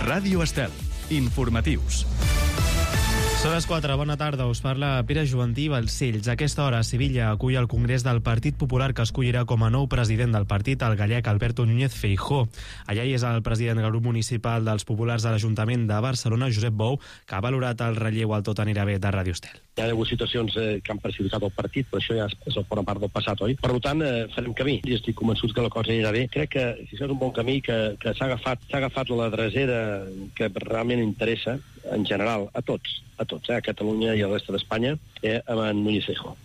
Ràdio Estel. Informatius. Són les 4, bona tarda, us parla Pere Juventí Balcells. A aquesta hora, Sevilla acull el Congrés del Partit Popular, que escollirà com a nou president del partit el gallec Alberto Núñez Feijóo. Allà hi és el president del grup municipal dels populars de l'Ajuntament de Barcelona, Josep Bou, que ha valorat el relleu al tot anirà bé de Ràdio Estel. Hi ha hagut situacions que han perjudicat el partit, però això ja forma part del passat, oi? Per tant, farem camí i estic convençut que la cosa anirà bé. Crec que és un bon camí, que s'ha agafat la drecera que realment interessa en general a tots, a Catalunya i a la resta d'Espanya, amb en Núñez Feijóo.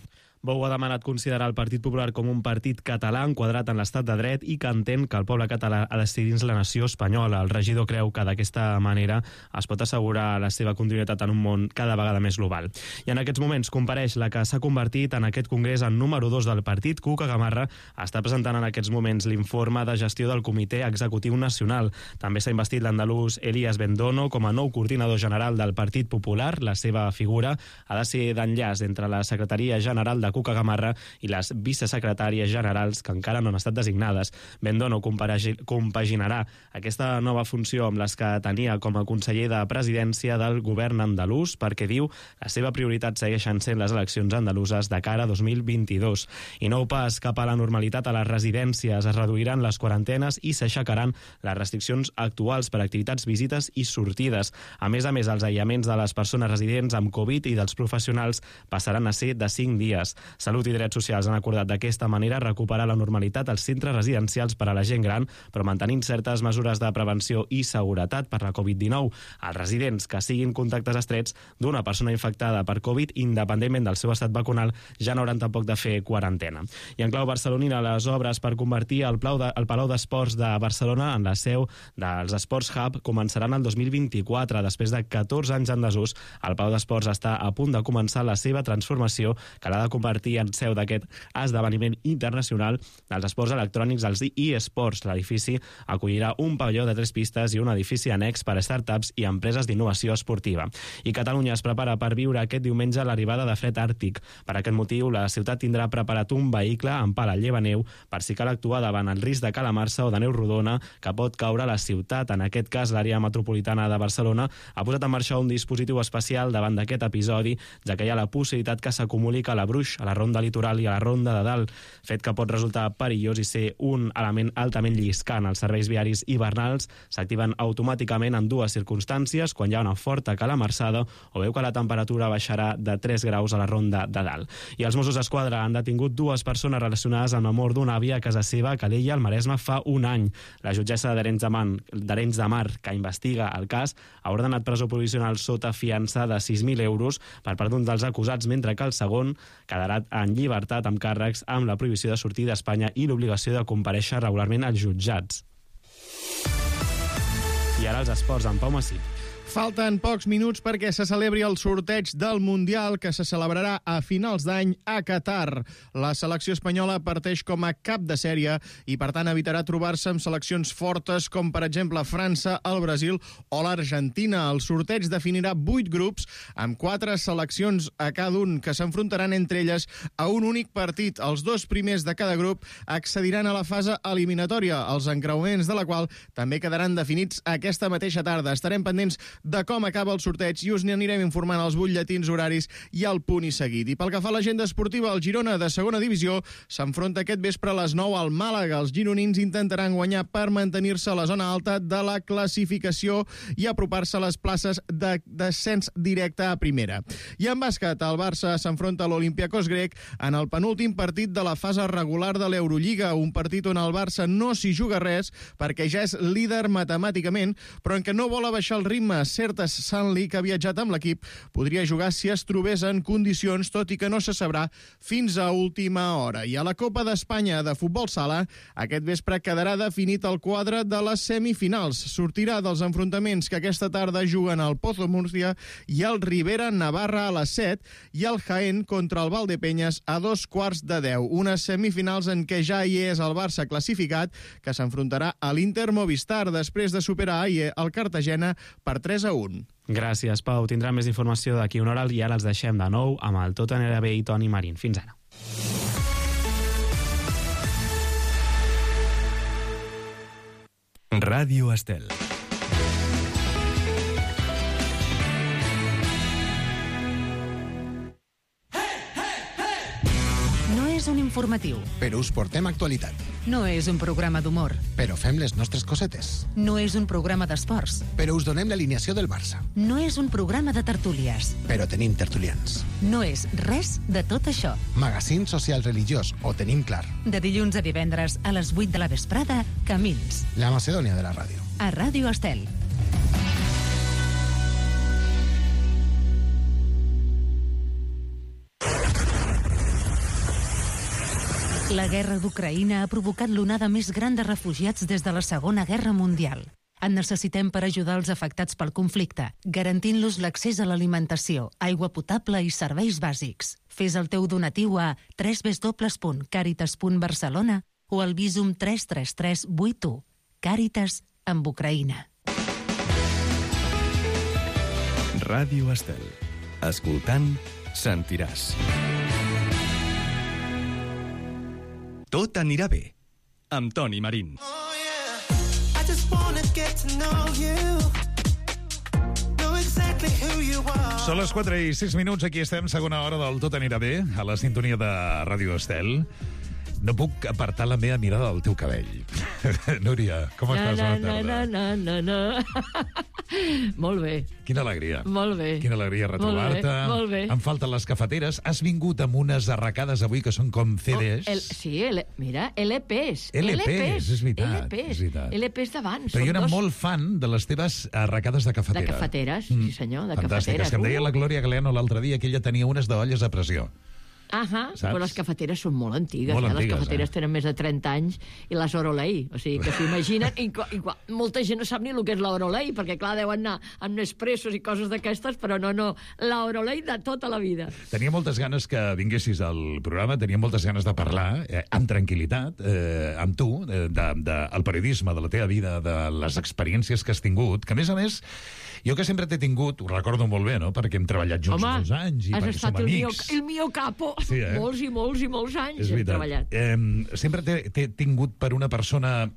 Bou ha demanat considerar el Partit Popular com un partit català enquadrat en l'estat de dret i que entén que el poble català ha de ser dins la nació espanyola. El regidor creu que d'aquesta manera es pot assegurar la seva continuïtat en un món cada vegada més global. I en aquests moments compareix la que s'ha convertit en aquest congrés en número 2 del partit. Cuca Gamarra està presentant en aquests moments l'informe de gestió del Comitè Executiu Nacional. També s'ha investit l'andalús Elías Bendono com a nou coordinador general del Partit Popular. La seva figura ha de ser d'enllaç entre la Secretaria General de Cuca Gamarra i les vicesecretàries generals que encara no han estat designades. Bendono compaginarà aquesta nova funció amb les que tenia com a conseller de presidència del govern andalús, perquè diu la seva prioritat segueixen sent les eleccions andaluses de cara a 2022. I nou pas cap a la normalitat a les residències. Es reduiran les quarantenes i s'aixecaran les restriccions actuals per activitats, visites i sortides. A més, els aïllaments de les persones residents amb Covid i dels professionals passaran a ser de 5 dies. Salut i Drets Socials han acordat d'aquesta manera recuperar la normalitat als centres residencials per a la gent gran, però mantenint certes mesures de prevenció i seguretat per la Covid-19. Els residents que siguin contactes estrets d'una persona infectada per Covid, independentment del seu estat vacunal, ja no hauran tampoc de fer quarantena. I en clau barcelonina, les obres per convertir el Palau d'Esports de Barcelona en la seu dels Sports Hub començaran el 2024. Després de 14 anys en desús, el Palau d'Esports està a punt de començar la seva transformació, que l'ha de convertir en seu d'aquest esdeveniment internacional dels esports electrònics, els eSports. L'edifici acollirà un pavelló de 3 pistes i un edifici annex per a startups i empreses d'innovació esportiva. I Catalunya es prepara per viure aquest diumenge l'arribada de fred àrtic. Per aquest motiu, la ciutat tindrà preparat un vehicle amb pala llevaneu per si cal actuar davant el risc de calamarsa o de neu rodona que pot caure a la ciutat. En aquest cas, l'àrea metropolitana de Barcelona ha posat en marxa un dispositiu especial davant d'aquest episodi, ja que hi ha la possibilitat que s'acumuli calabruix a la ronda litoral i a la ronda de dalt, fet que pot resultar perillós i ser un element altament lliscant. Els serveis viaris hivernals s'activen automàticament en 2 circumstàncies, quan hi ha una forta calamarsada o veu que la temperatura baixarà de 3 graus a la ronda de dalt. I els Mossos d'Esquadra han detingut 2 persones relacionades amb la mort d'una àvia a casa seva a Calella, al Maresme, fa un any. La jutgessa d'Arenys de Mar, que investiga el cas, ha ordenat presó provisional sota fiança de 6.000 euros per part d'un dels acusats, mentre que el segon quedarà en llibertat amb càrrecs amb la prohibició de sortir d'Espanya i l'obligació de comparèixer regularment als jutjats. I ara els esports amb Pau Massip. Falten pocs minuts perquè se celebri el sorteig del Mundial que se celebrarà a finals d'any a Qatar. La selecció espanyola parteix com a cap de sèrie i, per tant, evitarà trobar-se amb seleccions fortes com, per exemple, França, el Brasil o l'Argentina. El sorteig definirà 8 grups amb 4 seleccions a cada un que s'enfrontaran entre elles a un únic partit. Els 2 primers de cada grup accediran a la fase eliminatòria, els encreuaments de la qual també quedaran definits aquesta mateixa tarda. Estarem pendents de com acaba el sorteig i us n'anirem informant als butlletins horaris i al punt i seguit. I pel que fa a l'agenda esportiva, el Girona de segona divisió s'enfronta aquest vespre a les 9 al Màlaga. Els gironins intentaran guanyar per mantenir-se a la zona alta de la classificació i apropar-se a les places de descens directe a primera. I en bàsquet, el Barça s'enfronta a l'Olympiacos grec en el penúltim partit de la fase regular de l'Eurolliga, un partit on el Barça no s'hi juga res perquè ja és líder matemàticament, però en què no vol abaixar el ritme. Certes Sanli, que ha viatjat amb l'equip, podria jugar si es trobés en condicions, tot i que no se sabrà fins a última hora. I a la Copa d'Espanya de futbol sala, aquest vespre quedarà definit el quadre de les semifinals. Sortirà dels enfrontaments que aquesta tarda juguen el Pozo Murcia i el Rivera Navarra a les 7 i el Jaén contra el Valdepeñas a 9:45. Unes semifinals en què ja hi és el Barça classificat, que s'enfrontarà a l'Inter Movistar després de superar ahir el Cartagena per 3-1. Gràcies, Pau. Tindrà més informació d'aquí una hora i ara els deixem de nou amb el Tot anirà bé i Toni Marín. Fins ara. Ràdio Estel. informatiu. Però us portem actualitat. No és un programa d'humor. Però fem les nostres cosetes. No és un programa d'esports. Però us donem l'alineació del Barça. No és un programa de tertúlies. Però tenim tertulians. No és res de tot això. Magazín social religiós, ho tenim clar. De dilluns a divendres a les 8 de la vesprada, Camins. La Macedònia de la ràdio. A Ràdio Estel. La guerra d'Ucraïna ha provocat l'onada més gran de refugiats des de la Segona Guerra Mundial. En necessitem per ajudar els afectats pel conflicte, garantint-los l'accés a l'alimentació, aigua potable i serveis bàsics. Fes el teu donatiu a www.caritas.barcelona o al Visum 33381. Càritas amb Ucraïna. Ràdio Estel. Escoltant, sentiràs. Tot anirà bé, amb Toni Marín. Són les 4:06, aquí estem, segona hora del Tot anirà bé, a la sintonia de Ràdio Estel. No puc apartar la meva mirada del teu cabell. Núria, com estàs? Bona tarda. Molt bé. Quina alegria. Molt bé. Quina alegria retrobar-te. Molt bé. Em falten les cafeteres. Has vingut amb unes arracades avui que són com CDs. Mira, LPs. LPs, és veritat. LPs d'abans. Però jo era molt fan de les teves arracades de cafetera. De cafeteres, sí senyor, de fantàstiques, cafeteres. Que em deia la Glòria Galeano l'altre dia que ella tenia unes d'olles a pressió. Però les cafeteres són molt antigues. Molt antigues, les cafeteres tenen més de 30 anys i les Orolei, o sigui, que s'imaginen molta gent no sap ni el que és la Orolei, perquè clar, deuen anar amb Nespressos i coses d'aquestes, però no, la Orolei de tota la vida. Tenia moltes ganes que vinguessis al programa, tenia moltes ganes de parlar amb tranquil·litat amb tu, del periodisme, de la teva vida, de les experiències que has tingut, que a més, jo que sempre t'he tingut, ho recordo molt bé, no?, perquè hem treballat junts molts anys i perquè som amics. El mio capo. Sí, molts i molts anys hem treballat. Sempre t'he tingut per una persona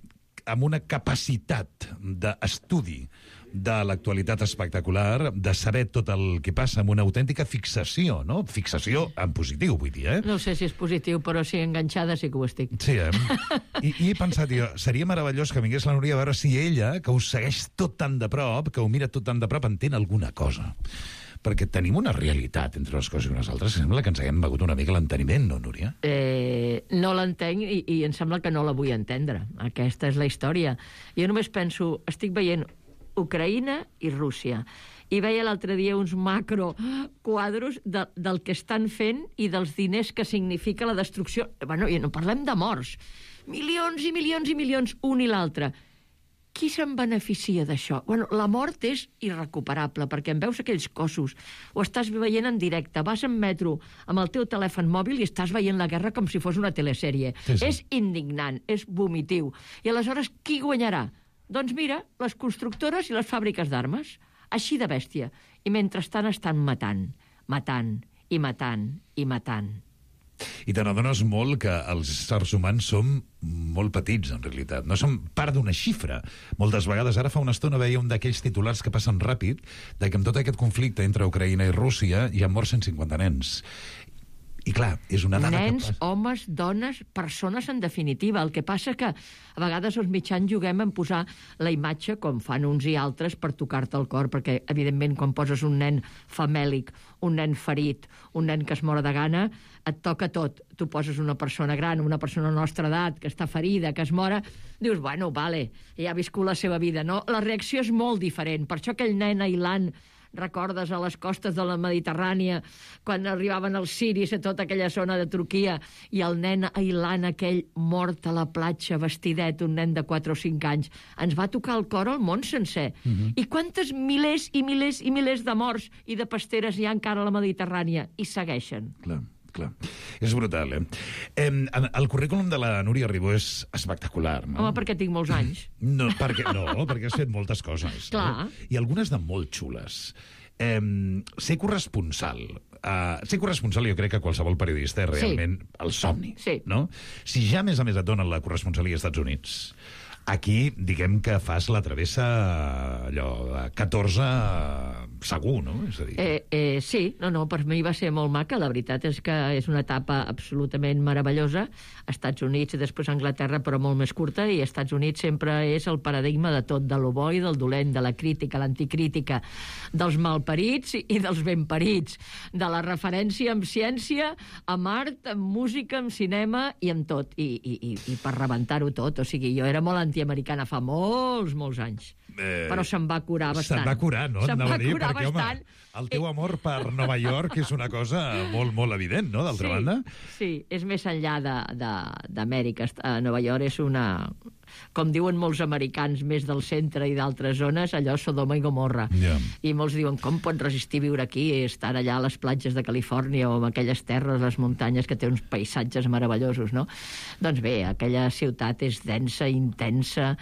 amb una capacitat d'estudi de l'actualitat espectacular, de saber tot el que passa, amb una autèntica fixació, no? Fixació en positiu, vull dir, No sé si és positiu, però sí, enganxada sí que ho estic. Sí, I he pensat, seria meravellós que vingués la Núria a veure si ella, que us segueix tot tan de prop, que ho mira tot tan de prop, entén alguna cosa. Perquè tenim una realitat entre les coses i unes altres, sembla que ens haguem begut una mica l'enteniment, no, Núria? No l'entenc i em sembla que no la vull entendre. Aquesta és la història. Jo només penso, estic veient Ucraïna i Rússia. I veia l'altre dia uns macroquadros del que estan fent i dels diners que significa la destrucció. I no parlem de morts. Milions i milions i milions, un i l'altre. Qui se'n beneficia d'això? La mort és irrecuperable, perquè en veus aquells cossos, ho estàs veient en directe, vas en metro amb el teu telèfon mòbil i estàs veient la guerra com si fos una telesèrie. Sí. És indignant, és vomitiu. I aleshores, qui guanyarà? Doncs mira, les constructores i les fàbriques d'armes. Així de bèstia. I mentrestant estan matant i matant. I te n'adones molt que els éssers humans som molt petits, en realitat. No som part d'una xifra. Moltes vegades, ara fa una estona veia un d'aquells titulars que passen ràpid, de que amb tot aquest conflicte entre Ucraïna i Rússia hi ha mort 150 nens. I clar, és una dada nens, homes, dones, persones en definitiva. El que passa que a vegades els mitjans juguem en posar la imatge, com fan uns i altres, per tocar-te el cor, perquè evidentment quan poses un nen famèlic, un nen ferit, un nen que es mor de gana, et toca tot. Tu poses una persona gran, una persona de la nostra edat, que està ferida, que es mora, dius, bueno, vale, ja ha viscut la seva vida, no? La reacció és molt diferent. Per això aquell nen ailant, recordes a les costes de la Mediterrània, quan arribaven els siris a tota aquella zona de Turquia, i el nen ailant aquell mort a la platja, vestidet, un nen de 4 o 5 anys, ens va tocar el cor al món sencer. I quantes milers i milers i milers de morts i de pasteres hi ha encara a la Mediterrània? I segueixen. Clar. És brutal, El currículum de la Núria Ribó és espectacular, no? Home, perquè tinc molts anys. No, perquè has fet moltes coses. Clar. I algunes de molt xules. Ser corresponsal. Ser corresponsal jo crec que qualsevol periodista és realment el somni, no? Si ja, a més et donen la corresponsalia als Estats Units, Aquí, diguem que fas la travessa allò, 14 segur, no? És a dir... Sí, per mi va ser molt maca. La veritat és que és una etapa absolutament meravellosa. Estats Units i després Anglaterra, però molt més curta, i Estats Units sempre és el paradigma de tot, de lo bo i del dolent, de la crítica, l'anticrítica, dels malparits i dels benparits, de la referència en ciència, en art, en música, en cinema i en tot. I per rebentar-ho tot. O sigui, jo era molt antiamericana fa molts anys. Però se'n va curar bastant. Se'n va curar, no? Se'n va curar perquè, bastant. Home, el teu amor per Nova York és una cosa molt evident, no?, d'altra banda. Sí, és més enllà d'Amèrica. Nova York és una... Com diuen molts americans més del centre i d'altres zones, allò Sodoma i Gomorra. Yeah. I molts diuen, com pots resistir viure aquí i estar allà a les platges de Califòrnia o en aquelles terres, les muntanyes, que té uns paisatges meravellosos, no? Doncs bé, aquella ciutat és densa, intensa,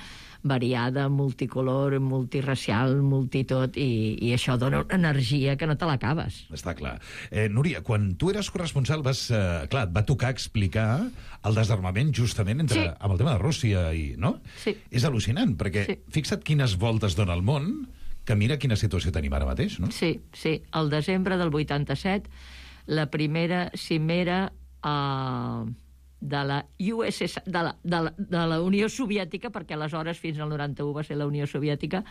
variada, multicolor, multiracial, multitot, i això dona una energia que no te l'acabes. Està clar. Núria, quan tu eres corresponsal et va tocar explicar el desarmament justament amb el tema de Rússia, no? Sí. És al·lucinant, perquè fixa't quines voltes dona el món, que mira quina situació tenim ara mateix, no? Sí. El desembre del 87, la primera cimera de la USSR, de la Unió Soviètica, perquè aleshores fins al 91 va ser la Unió Soviètica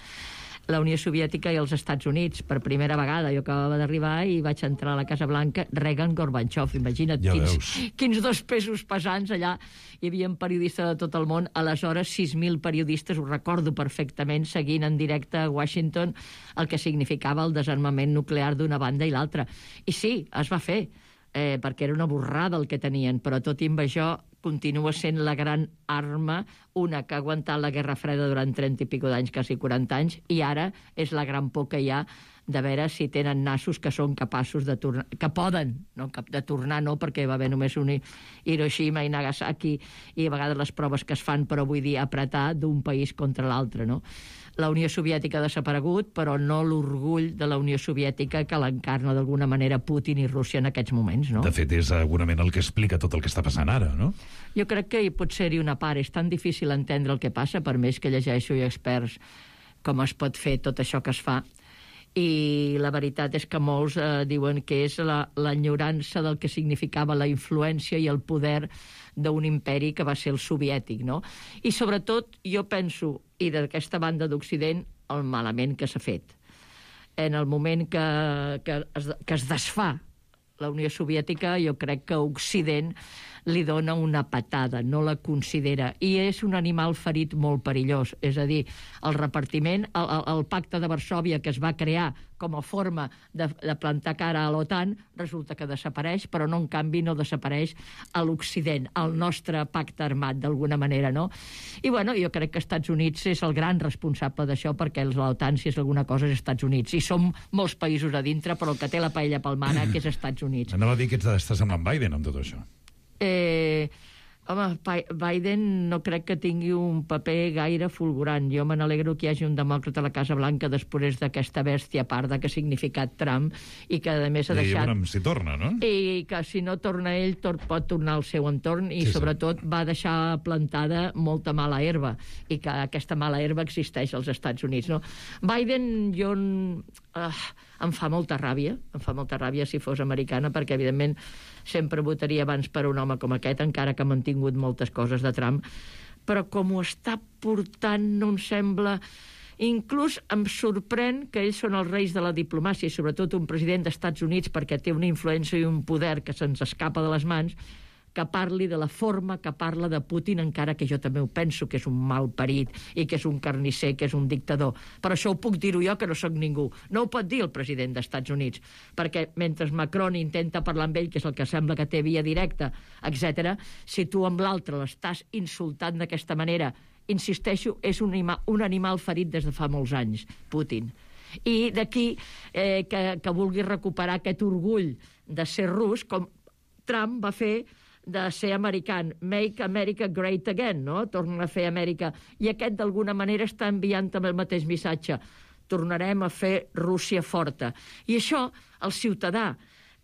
i els Estats Units. Per primera vegada jo acabava d'arribar i vaig entrar a la Casa Blanca, Reagan-Gorbachev, imagina't, quins dos pesos pesants allà. Hi havia periodistes de tot el món, aleshores 6.000 periodistes, ho recordo perfectament, seguint en directe a Washington el que significava el desarmament nuclear d'una banda i l'altra. I sí, es va fer, perquè era una borrada el que tenien, però tot i amb això continua sent la gran arma, una que ha aguantat la Guerra Freda durant 30 i pico d'anys, quasi 40 anys, i ara és la gran por que hi ha de veure si tenen nassos que són capaços de tornar, que poden, no, de tornar no, perquè va haver només un Hiroshima i Nagasaki, i a vegades les proves que es fan, però vull dir apretar d'un país contra l'altre, no? La Unió Soviètica ha desaparegut, però no l'orgull de la Unió Soviètica que l'encarna d'alguna manera Putin i Rússia en aquests moments, no? De fet, és segurament el que explica tot el que està passant ara, no? Jo crec que hi pot ser-hi una part. És tan difícil entendre el que passa, per més que llegeixo i experts com es pot fer tot això que es fa. I la veritat és que molts diuen que és l'enyorança del que significava la influència i el poder d'un imperi que va ser el soviètic, no? I sobretot jo penso, i d'aquesta banda d'Occident, el malament que s'ha fet. En el moment que es desfà la Unió Soviètica, jo crec que Occident li dona una patada, no la considera. I és un animal ferit molt perillós. És a dir, el repartiment, el pacte de Varsòvia que es va crear com a forma de plantar cara a l'OTAN, resulta que desapareix, però no, en canvi, no desapareix a l'Occident, el nostre pacte armat, d'alguna manera, no? I, bueno, jo crec que Estats Units és el gran responsable d'això, perquè l'OTAN, si és alguna cosa, és Estats Units. I som molts països a dintre, però el que té la paella pel mànec que és Estats Units. Anava a dir que estàs amb en Biden, amb tot això. Home, Biden no crec que tingui un paper gaire fulgurant. Jo me n'alegro que hi hagi un demòcrata a la Casa Blanca després d'aquesta bèstia parda que ha significat Trump i que, a més, ha deixat... I si torna, no? I que si no torna ell, pot tornar al seu entorn i, sobretot, va deixar plantada molta mala herba i que aquesta mala herba existeix als Estats Units, no? Biden, jo... em fa molta ràbia si fos americana, perquè evidentment sempre votaria abans per un home com aquest, encara que ha mantingut moltes coses de Trump, però com ho està portant no em sembla... Inclús em sorprèn que ells són els reis de la diplomàcia, i sobretot un president d'Estats Units, perquè té una influència i un poder que se'ns escapa de les mans, que parli de la forma que parla de Putin, encara que jo també ho penso, que és un malparit i que és un carnisser, que és un dictador. Però això ho puc dir-ho jo, que no sóc ningú. No ho pot dir el president d'Estats Units, perquè mentre Macron intenta parlar amb ell, que és el que sembla que té via directa, etc., si tu amb l'altre l'estàs insultant d'aquesta manera, insisteixo, és un animal ferit des de fa molts anys, Putin. I d'aquí que vulgui recuperar aquest orgull de ser rus, com Trump va fer de ser americà, make America great again, no? Torna a fer Amèrica. I aquest, d'alguna manera, està enviant també el mateix missatge. Tornarem a fer Rússia forta. I això, el ciutadà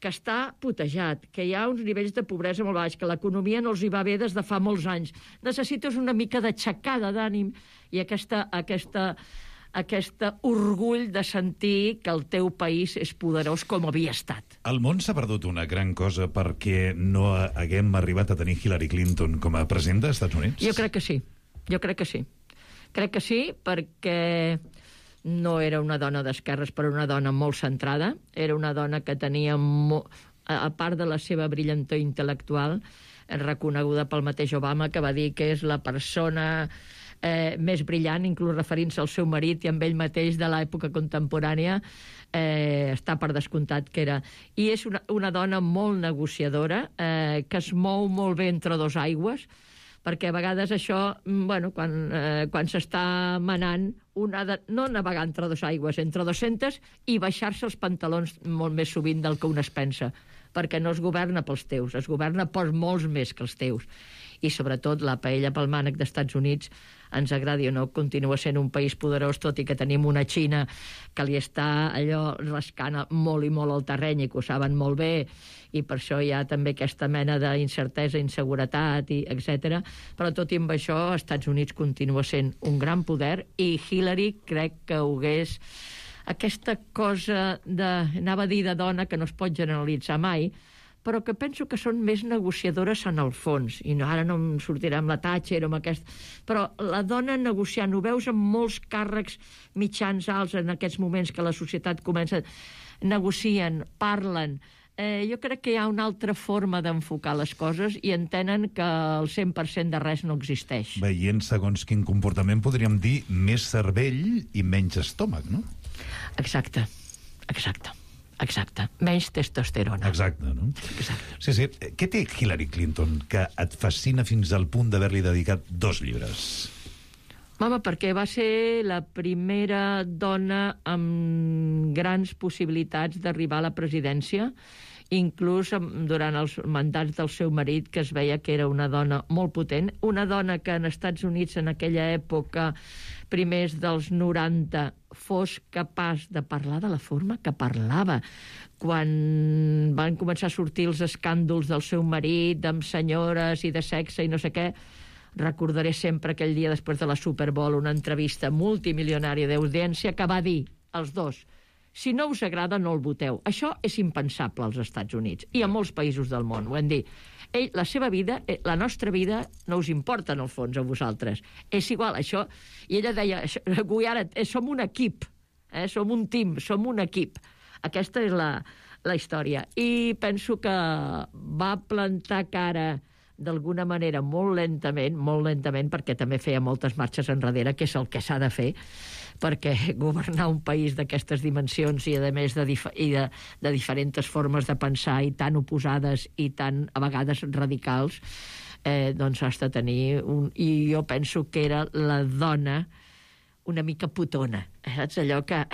que està putejat, que hi ha uns nivells de pobresa molt baix, que l'economia no els hi va bé des de fa molts anys. Necessites una mica d'aixecada d'ànim i aquest orgull de sentir que el teu país és poderós com havia estat. El món s'ha perdut una gran cosa perquè no haguem arribat a tenir Hillary Clinton com a president dels Estats Units? Jo crec que sí. Crec que sí, perquè no era una dona d'esquerres, però una dona molt centrada. Era una dona que tenia, a part de la seva brillantor intel·lectual, reconeguda pel mateix Obama, que va dir que és la persona més brillant, inclús referint-se al seu marit i amb ell mateix de l'època contemporània, està per descomptat que era. I és una dona molt negociadora, que es mou molt bé entre dos aigües, perquè a vegades això, quan s'està manant, un ha de no navegar entre dos aigües, entre 200, i baixar-se els pantalons molt més sovint del que un es pensa, perquè no es governa pels teus, es governa per molts més que els teus. I sobretot la paella pel mànec d'Estats Units, ens agradi o no, continua sent un país poderós, tot i que tenim una Xina que li està allò rascant molt i molt al terreny i que ho saben molt bé, i per això hi ha també aquesta mena d'incertesa, inseguretat, etc. Però tot i amb això, Estats Units continua sent un gran poder, i Hillary crec que ho hagués... Aquesta cosa anava a dir de dona, que no es pot generalitzar mai, però que penso que són més negociadores en el fons. I ara no em sortirà amb la Thatcher o amb aquest... Però la dona negociant, ho veus amb molts càrrecs mitjans alts en aquests moments que la societat comença... Negocien, parlen... jo crec que hi ha una altra forma d'enfocar les coses i entenen que el 100% de res no existeix. Veient segons quin comportament podríem dir més cervell i menys estómac, no? Exacte. Menys testosterona. Exacte, no? Exacte. Sí. Què té Hillary Clinton que et fascina fins al punt d'haver-li dedicat 2 llibres? Home, perquè va ser la primera dona amb grans possibilitats d'arribar a la presidència, inclús durant els mandats del seu marit, que es veia que era una dona molt potent, una dona que en Estats Units en aquella època, primers dels 90, fos capaç de parlar de la forma que parlava. Quan van començar a sortir els escàndols del seu marit, amb senyores i de sexe i no sé què, recordaré sempre aquell dia després de la Super Bowl una entrevista multimilionària d'audiència que va dir als dos: si no us agrada, no el voteu. Això és impensable als Estats Units i a molts països del món. Ho hem dit. La seva vida, la nostra vida, no us importa, en el fons, a vosaltres. És igual, això... I ella deia, ara som un equip, som un team, som un equip. Aquesta és la història. I penso que va plantar cara d'alguna manera molt lentament, perquè també feia moltes marxes enrere, que és el que s'ha de fer, perquè governar un país d'aquestes dimensions i, a més, de diferents formes de pensar i tan oposades i tan, a vegades, radicals, doncs has de tenir I jo penso que era la dona una mica putona, saps? Allò que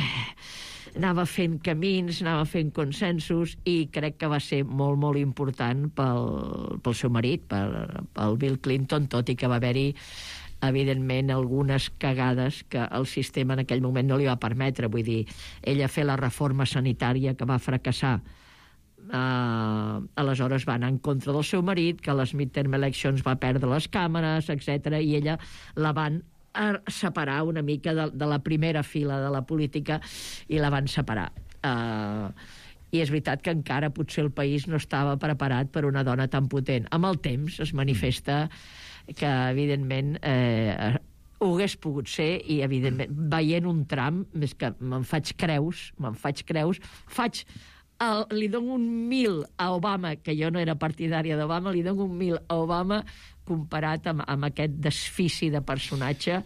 anava fent camins, anava fent consensos, i crec que va ser molt, molt important pel seu marit, pel Bill Clinton, tot i que va haver-hi, evidentment, algunes cagades que el sistema en aquell moment no li va permetre. Vull dir, ella fer la reforma sanitària que va fracassar, aleshores va anar en contra del seu marit, que a les midterm elections va perdre les càmeres, etc. I ella la van separar una mica de la primera fila de la política, i la van separar. I és veritat que encara potser el país no estava preparat per una dona tan potent. Amb el temps es manifesta que, evidentment, ho hagués pogut ser, i, evidentment, veient un Trump, més que me'n faig creus, li dono un 1000 a Obama, que jo no era partidària d'Obama, li dono un 1000 a Obama comparat amb aquest desfici de personatge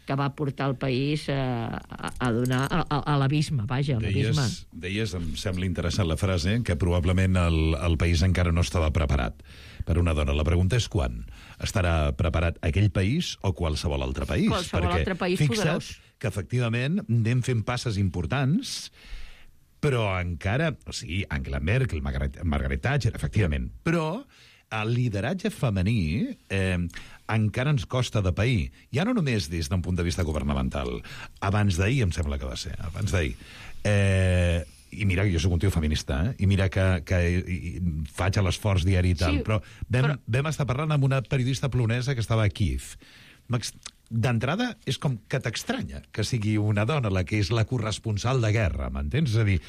que va portar el país a donar a l'abisme, vaja, a l'abisme. Deies, em sembla interessant la frase, que probablement el país encara no estava preparat per una dona. La pregunta és quan. Estarà preparat aquell país o qualsevol altre país? Qualsevol altre país poderós. Fixa't que, efectivament, anem fent passes importants, però encara... O sigui, Angela Merkel, Margaret Thatcher, efectivament, però el lideratge femení encara ens costa de pair. Ja no només des d'un punt de vista governamental. Abans d'ahir, em sembla que va ser, abans d'ahir, I mira que jo soc un tio feminista, i mira que faig l'esforç diari i tal, Sí, però vam estar parlant amb una periodista polonesa que estava a Kíev. D'entrada, és com que t'estranya que sigui una dona la que és la corresponsal de guerra, m'entens? És a dir,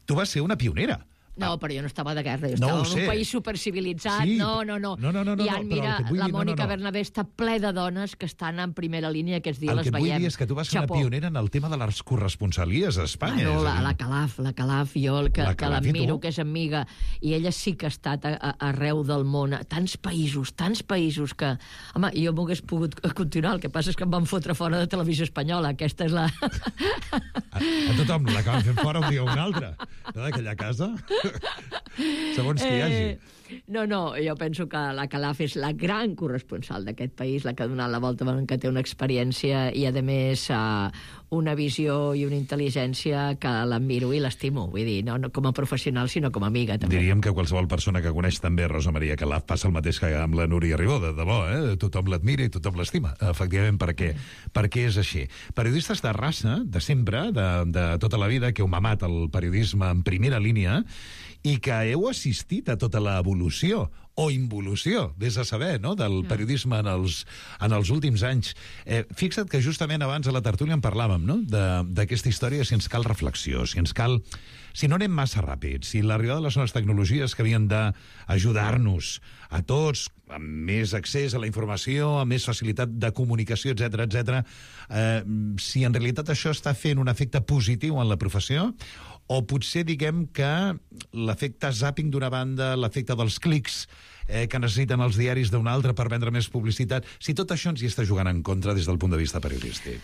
tu vas ser una pionera. No, però jo no estava de guerra, jo estava en un país supercivilitzat. Sí, no. I ara, mira, la Mònica Bernabé està ple de dones que estan en primera línia, aquests dies les veiem. El que vull dir és que tu vas ser una pionera en el tema de les corresponsalies a Espanya. La Calaf, jo, que l'admiro, que és amiga, i ella sí que ha estat arreu del món, tants països que... Home, jo m'ho hagués pogut continuar, el que passa és que em van fotre fora de Televisió Espanyola, aquesta és la... A tothom l'acaben fent fora un dia o un altre, no, d'aquella casa... Segons que hi hagi. No, jo penso que la Calaf és la gran corresponsal d'aquest país, la que ha donat la volta, que té una experiència i, a més, una visió i una intel·ligència que l'admiro i l'estimo. Vull dir, no com a professional, sinó com a amiga, també. Diríem que qualsevol persona que coneix també Rosa Maria Calaf passa el mateix que amb la Núria Ribó, de debò, tothom l'admira i tothom l'estima, efectivament, perquè és així. Periodistes de raça, de sempre, de tota la vida, que heu mamat el periodisme en primera línia i que heu assistit a tota l'evolució o involució, vés a saber, no?, del periodisme en els últims anys. Fixa't que justament abans a la tertúlia en parlàvem, no?, d'aquesta història, si ens cal reflexió, si no anem massa ràpid, si l'arribada de les noves tecnologies que havien d'ajudar-nos a tots, amb més accés a la informació, amb més facilitat de comunicació, etc., si en realitat això està fent un efecte positiu en la professió, o potser diguem que l'efecte zàping d'una banda, l'efecte dels clics que necessiten els diaris d'una altra per vendre més publicitat, si tot això ens hi està jugant en contra des del punt de vista periodístic.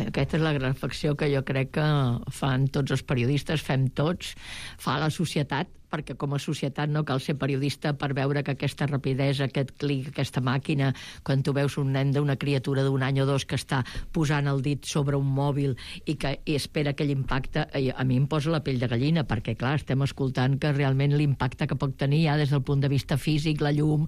Aquesta és la reflexió que jo crec que fan tots els periodistes, fem tots, fa la societat, perquè com a societat no cal ser periodista per veure que aquesta rapidesa, aquest clic, aquesta màquina, quan tu veus un nen d'una criatura d'un any o dos que està posant el dit sobre un mòbil i espera aquell impacte, a mi em posa la pell de gallina, perquè clar, estem escoltant que realment l'impacte que pot tenir ja des del punt de vista físic, la llum,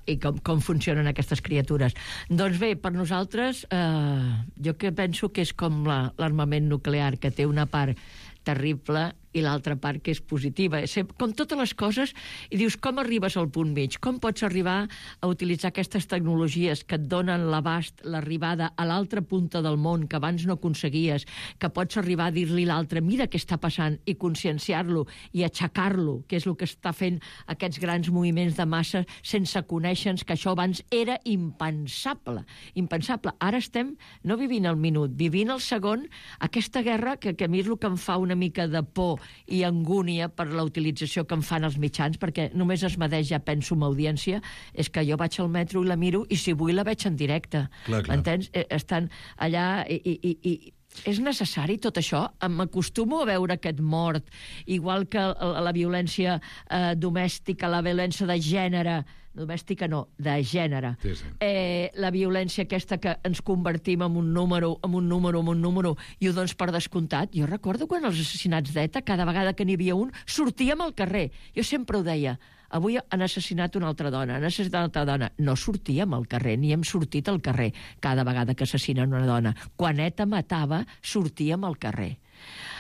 i com funcionen aquestes criatures. Doncs bé, per nosaltres, jo que penso que és com l'armament nuclear, que té una part terrible i l'altra part que és positiva. Com totes les coses, i dius, com arribes al punt mig? Com pots arribar a utilitzar aquestes tecnologies que et donen l'abast, l'arribada a l'altra punta del món que abans no aconseguies, que pots arribar a dir-li a l'altre, mira què està passant, i conscienciar-lo i aixecar-lo, que és el que està fent aquests grans moviments de massa sense conèixer que això abans era impensable. Impensable. Ara estem no vivint el minut, vivint el segon, aquesta guerra que a mi és el que em fa una mica de por i angúnia per la utilització que en fan els mitjans, perquè només es medeix, ja penso, amb audiència, és que jo vaig al metro i la miro i si vull la veig en directe. Clar. Entens? Estan allà i és necessari tot això? M'acostumo a veure aquest mort, igual que la violència domèstica, la violència de gènere, domèstica no, de gènere. Sí. La violència aquesta que ens convertim en un número, i ho dones per descomptat. Jo recordo quan els assassinats d'ETA, cada vegada que n'hi havia un, sortíem al carrer. Jo sempre ho deia, avui han assassinat una altra dona, No sortíem al carrer, ni hem sortit al carrer cada vegada que assassinen una dona. Quan ETA matava, sortíem al carrer.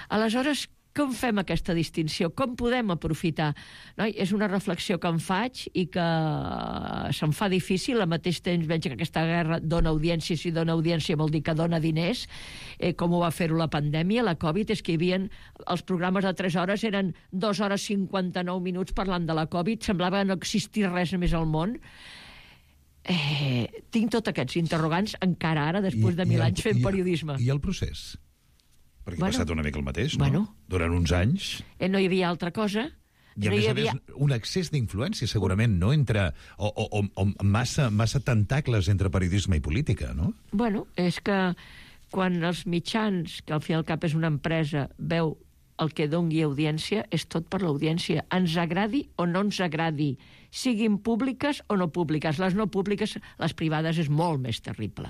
Aleshores, com fem aquesta distinció? Com podem aprofitar? No? És una reflexió que em faig i que se'm fa difícil. Al mateix temps veig que aquesta guerra dona audiència. Si dona audiència vol dir que dona diners, com ho va fer-ho la pandèmia, la Covid. És que hi havia els programes de 3 hores, eren 2 hores 59 minuts parlant de la Covid. Semblava no existir res més al món. Tinc tots aquests interrogants encara ara, després de 1000 anys fent periodisme. I el procés? Perquè ha passat una mica el mateix, no? Durant uns anys... No hi havia altra cosa. I a més, un excés d'influència, segurament, no? O massa tentacles entre periodisme i política, no? Bueno, és que quan els mitjans, que al fi i al cap és una empresa, veu el que doni audiència, és tot per l'audiència. Ens agradi o no ens agradi, siguin públiques o no públiques. Les no públiques, les privades, és molt més terrible.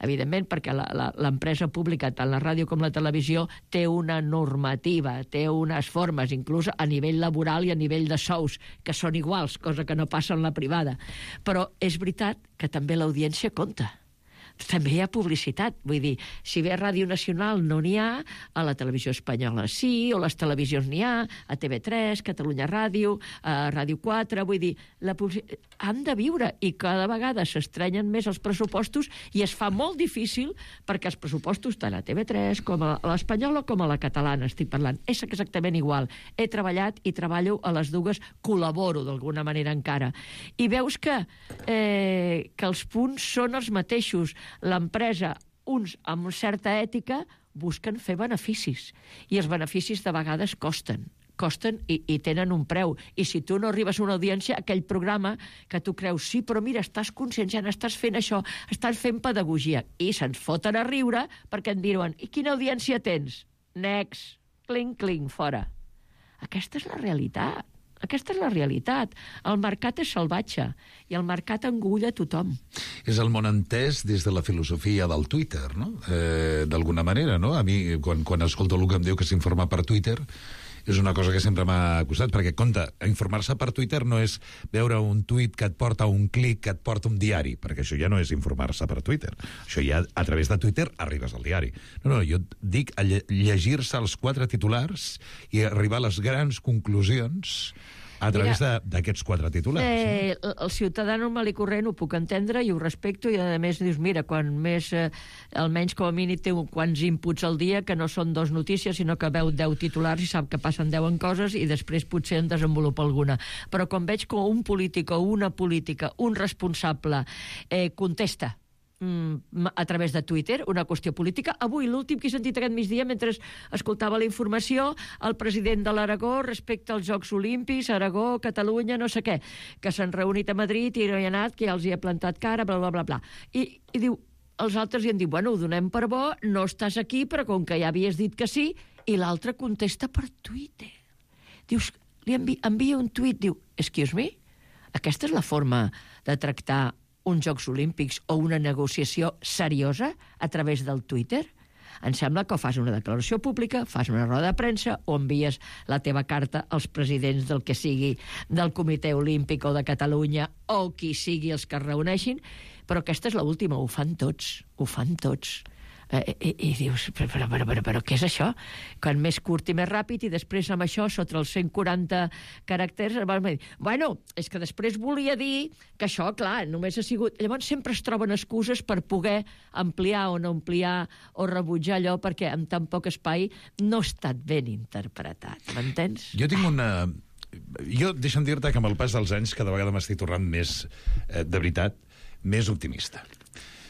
Evidentment, perquè l'empresa pública, tant la ràdio com la televisió, té una normativa, té unes formes, inclús a nivell laboral i a nivell de sous, que són iguals, cosa que no passa en la privada. Però és veritat que també l'audiència compta. també hi ha publicitat. Vull dir, si bé a Ràdio Nacional no n'hi ha, a la televisió espanyola sí, o les televisions n'hi ha, a TV3, Catalunya Ràdio, a Ràdio 4, vull dir, han de viure, i cada vegada s'estrenyen més els pressupostos i es fa molt difícil perquè els pressupostos, tant a TV3 com a l'espanyola com a la catalana, estic parlant, és exactament igual. He treballat i treballo a les dues, col·laboro d'alguna manera encara. I veus que els punts són els mateixos. L'empresa, uns amb certa ètica, busquen fer beneficis. I els beneficis de vegades costen i tenen un preu. I si tu no arribes a una audiència, aquell programa que tu creus, sí, però mira, estàs conscienciant, estàs fent això, estàs fent pedagogia, i se'ns foten a riure perquè en diuen, i quina audiència tens? Next, cling, cling, fora. Aquesta és la realitat. Aquesta és la realitat. El mercat és salvatge i el mercat engulla tothom. És el món entès des de la filosofia del Twitter, no? D'alguna manera, no? A mi, quan escolto el que em diu que s'informa per Twitter, és una cosa que sempre m'ha costat, perquè, compte, informar-se per Twitter no és veure un tuit que et porta un clic, que et porta un diari, perquè això ja no és informar-se per Twitter. Això ja, a través de Twitter, arribes al diari. No, jo dic llegir-se els 4 titulars i arribar a les grans conclusions a través d'aquests 4 titulars. El ciutadà normal i corrent ho puc entendre i ho respecto, i a més dius, mira, quan més, almenys com a mínim té quants inputs al dia, que no són 2 notícies, sinó que veu 10 titulars i sap que passen 10 coses i després potser en desenvolupa alguna. Però quan veig que un polític o una política, un responsable, contesta a través de Twitter, una qüestió política. Avui, l'últim que he sentit aquest migdia, mentre escoltava la informació, el president de l'Aragó respecte als Jocs Olímpics, Aragó, Catalunya, no sé què, que s'han reunit a Madrid i no hi ha anat, que ja els hi ha plantat cara, bla, bla, bla, bla. I diu, els altres hi han dit, bueno, ho donem per bo, no estàs aquí, però com que ja havies dit que sí, i l'altre contesta per Twitter. Dius, li envia un tuit, diu, excuse me, aquesta és la forma de tractar uns Jocs Olímpics o una negociació seriosa a través del Twitter? Em sembla que o fas una declaració pública, fas una roda de premsa o envies la teva carta als presidents del que sigui, del Comitè Olímpic o de Catalunya o qui sigui els que es reuneixin, però aquesta és l'última, ho fan tots. I dius, però què és això? Quan més curt i més ràpid, i després amb això, sota els 140 caràcters, bueno, és que després volia dir que això, clar, només ha sigut... Llavors sempre es troben excuses per poder ampliar o no ampliar o rebutjar allò, perquè amb tan poc espai no ha estat ben interpretat, m'entens? Jo tinc una... Jo, deixa'm dir-te que amb el pas dels anys cada vegada m'estic tornant més, de veritat, més optimista.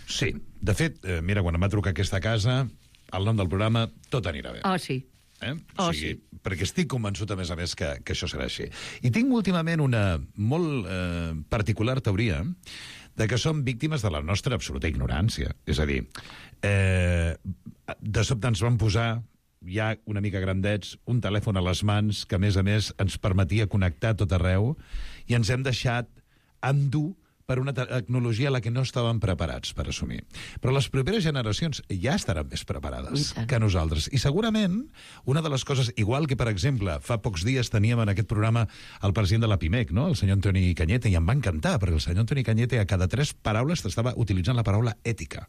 Sí, de fet, mira, quan em va trucar aquesta casa, el nom del programa, tot anirà bé. Oh, sí. O sigui, sí. Perquè estic convençut, a més, que això serà així. I tinc últimament una molt particular teoria de que som víctimes de la nostra absoluta ignorància. És a dir, de sobte ens van posar, ja una mica grandets, un telèfon a les mans que, a més, ens permetia connectar tot arreu, i ens hem deixat endur per una tecnologia a la que no estàvem preparats per assumir. Però les properes generacions ja estaran més preparades que nosaltres. I segurament una de les coses, igual que, per exemple, fa pocs dies teníem en aquest programa el president de la PIMEC, no? El senyor Antoni Cañete, i em va encantar, perquè el senyor Antoni Cañete a cada 3 paraules estava utilitzant la paraula ètica.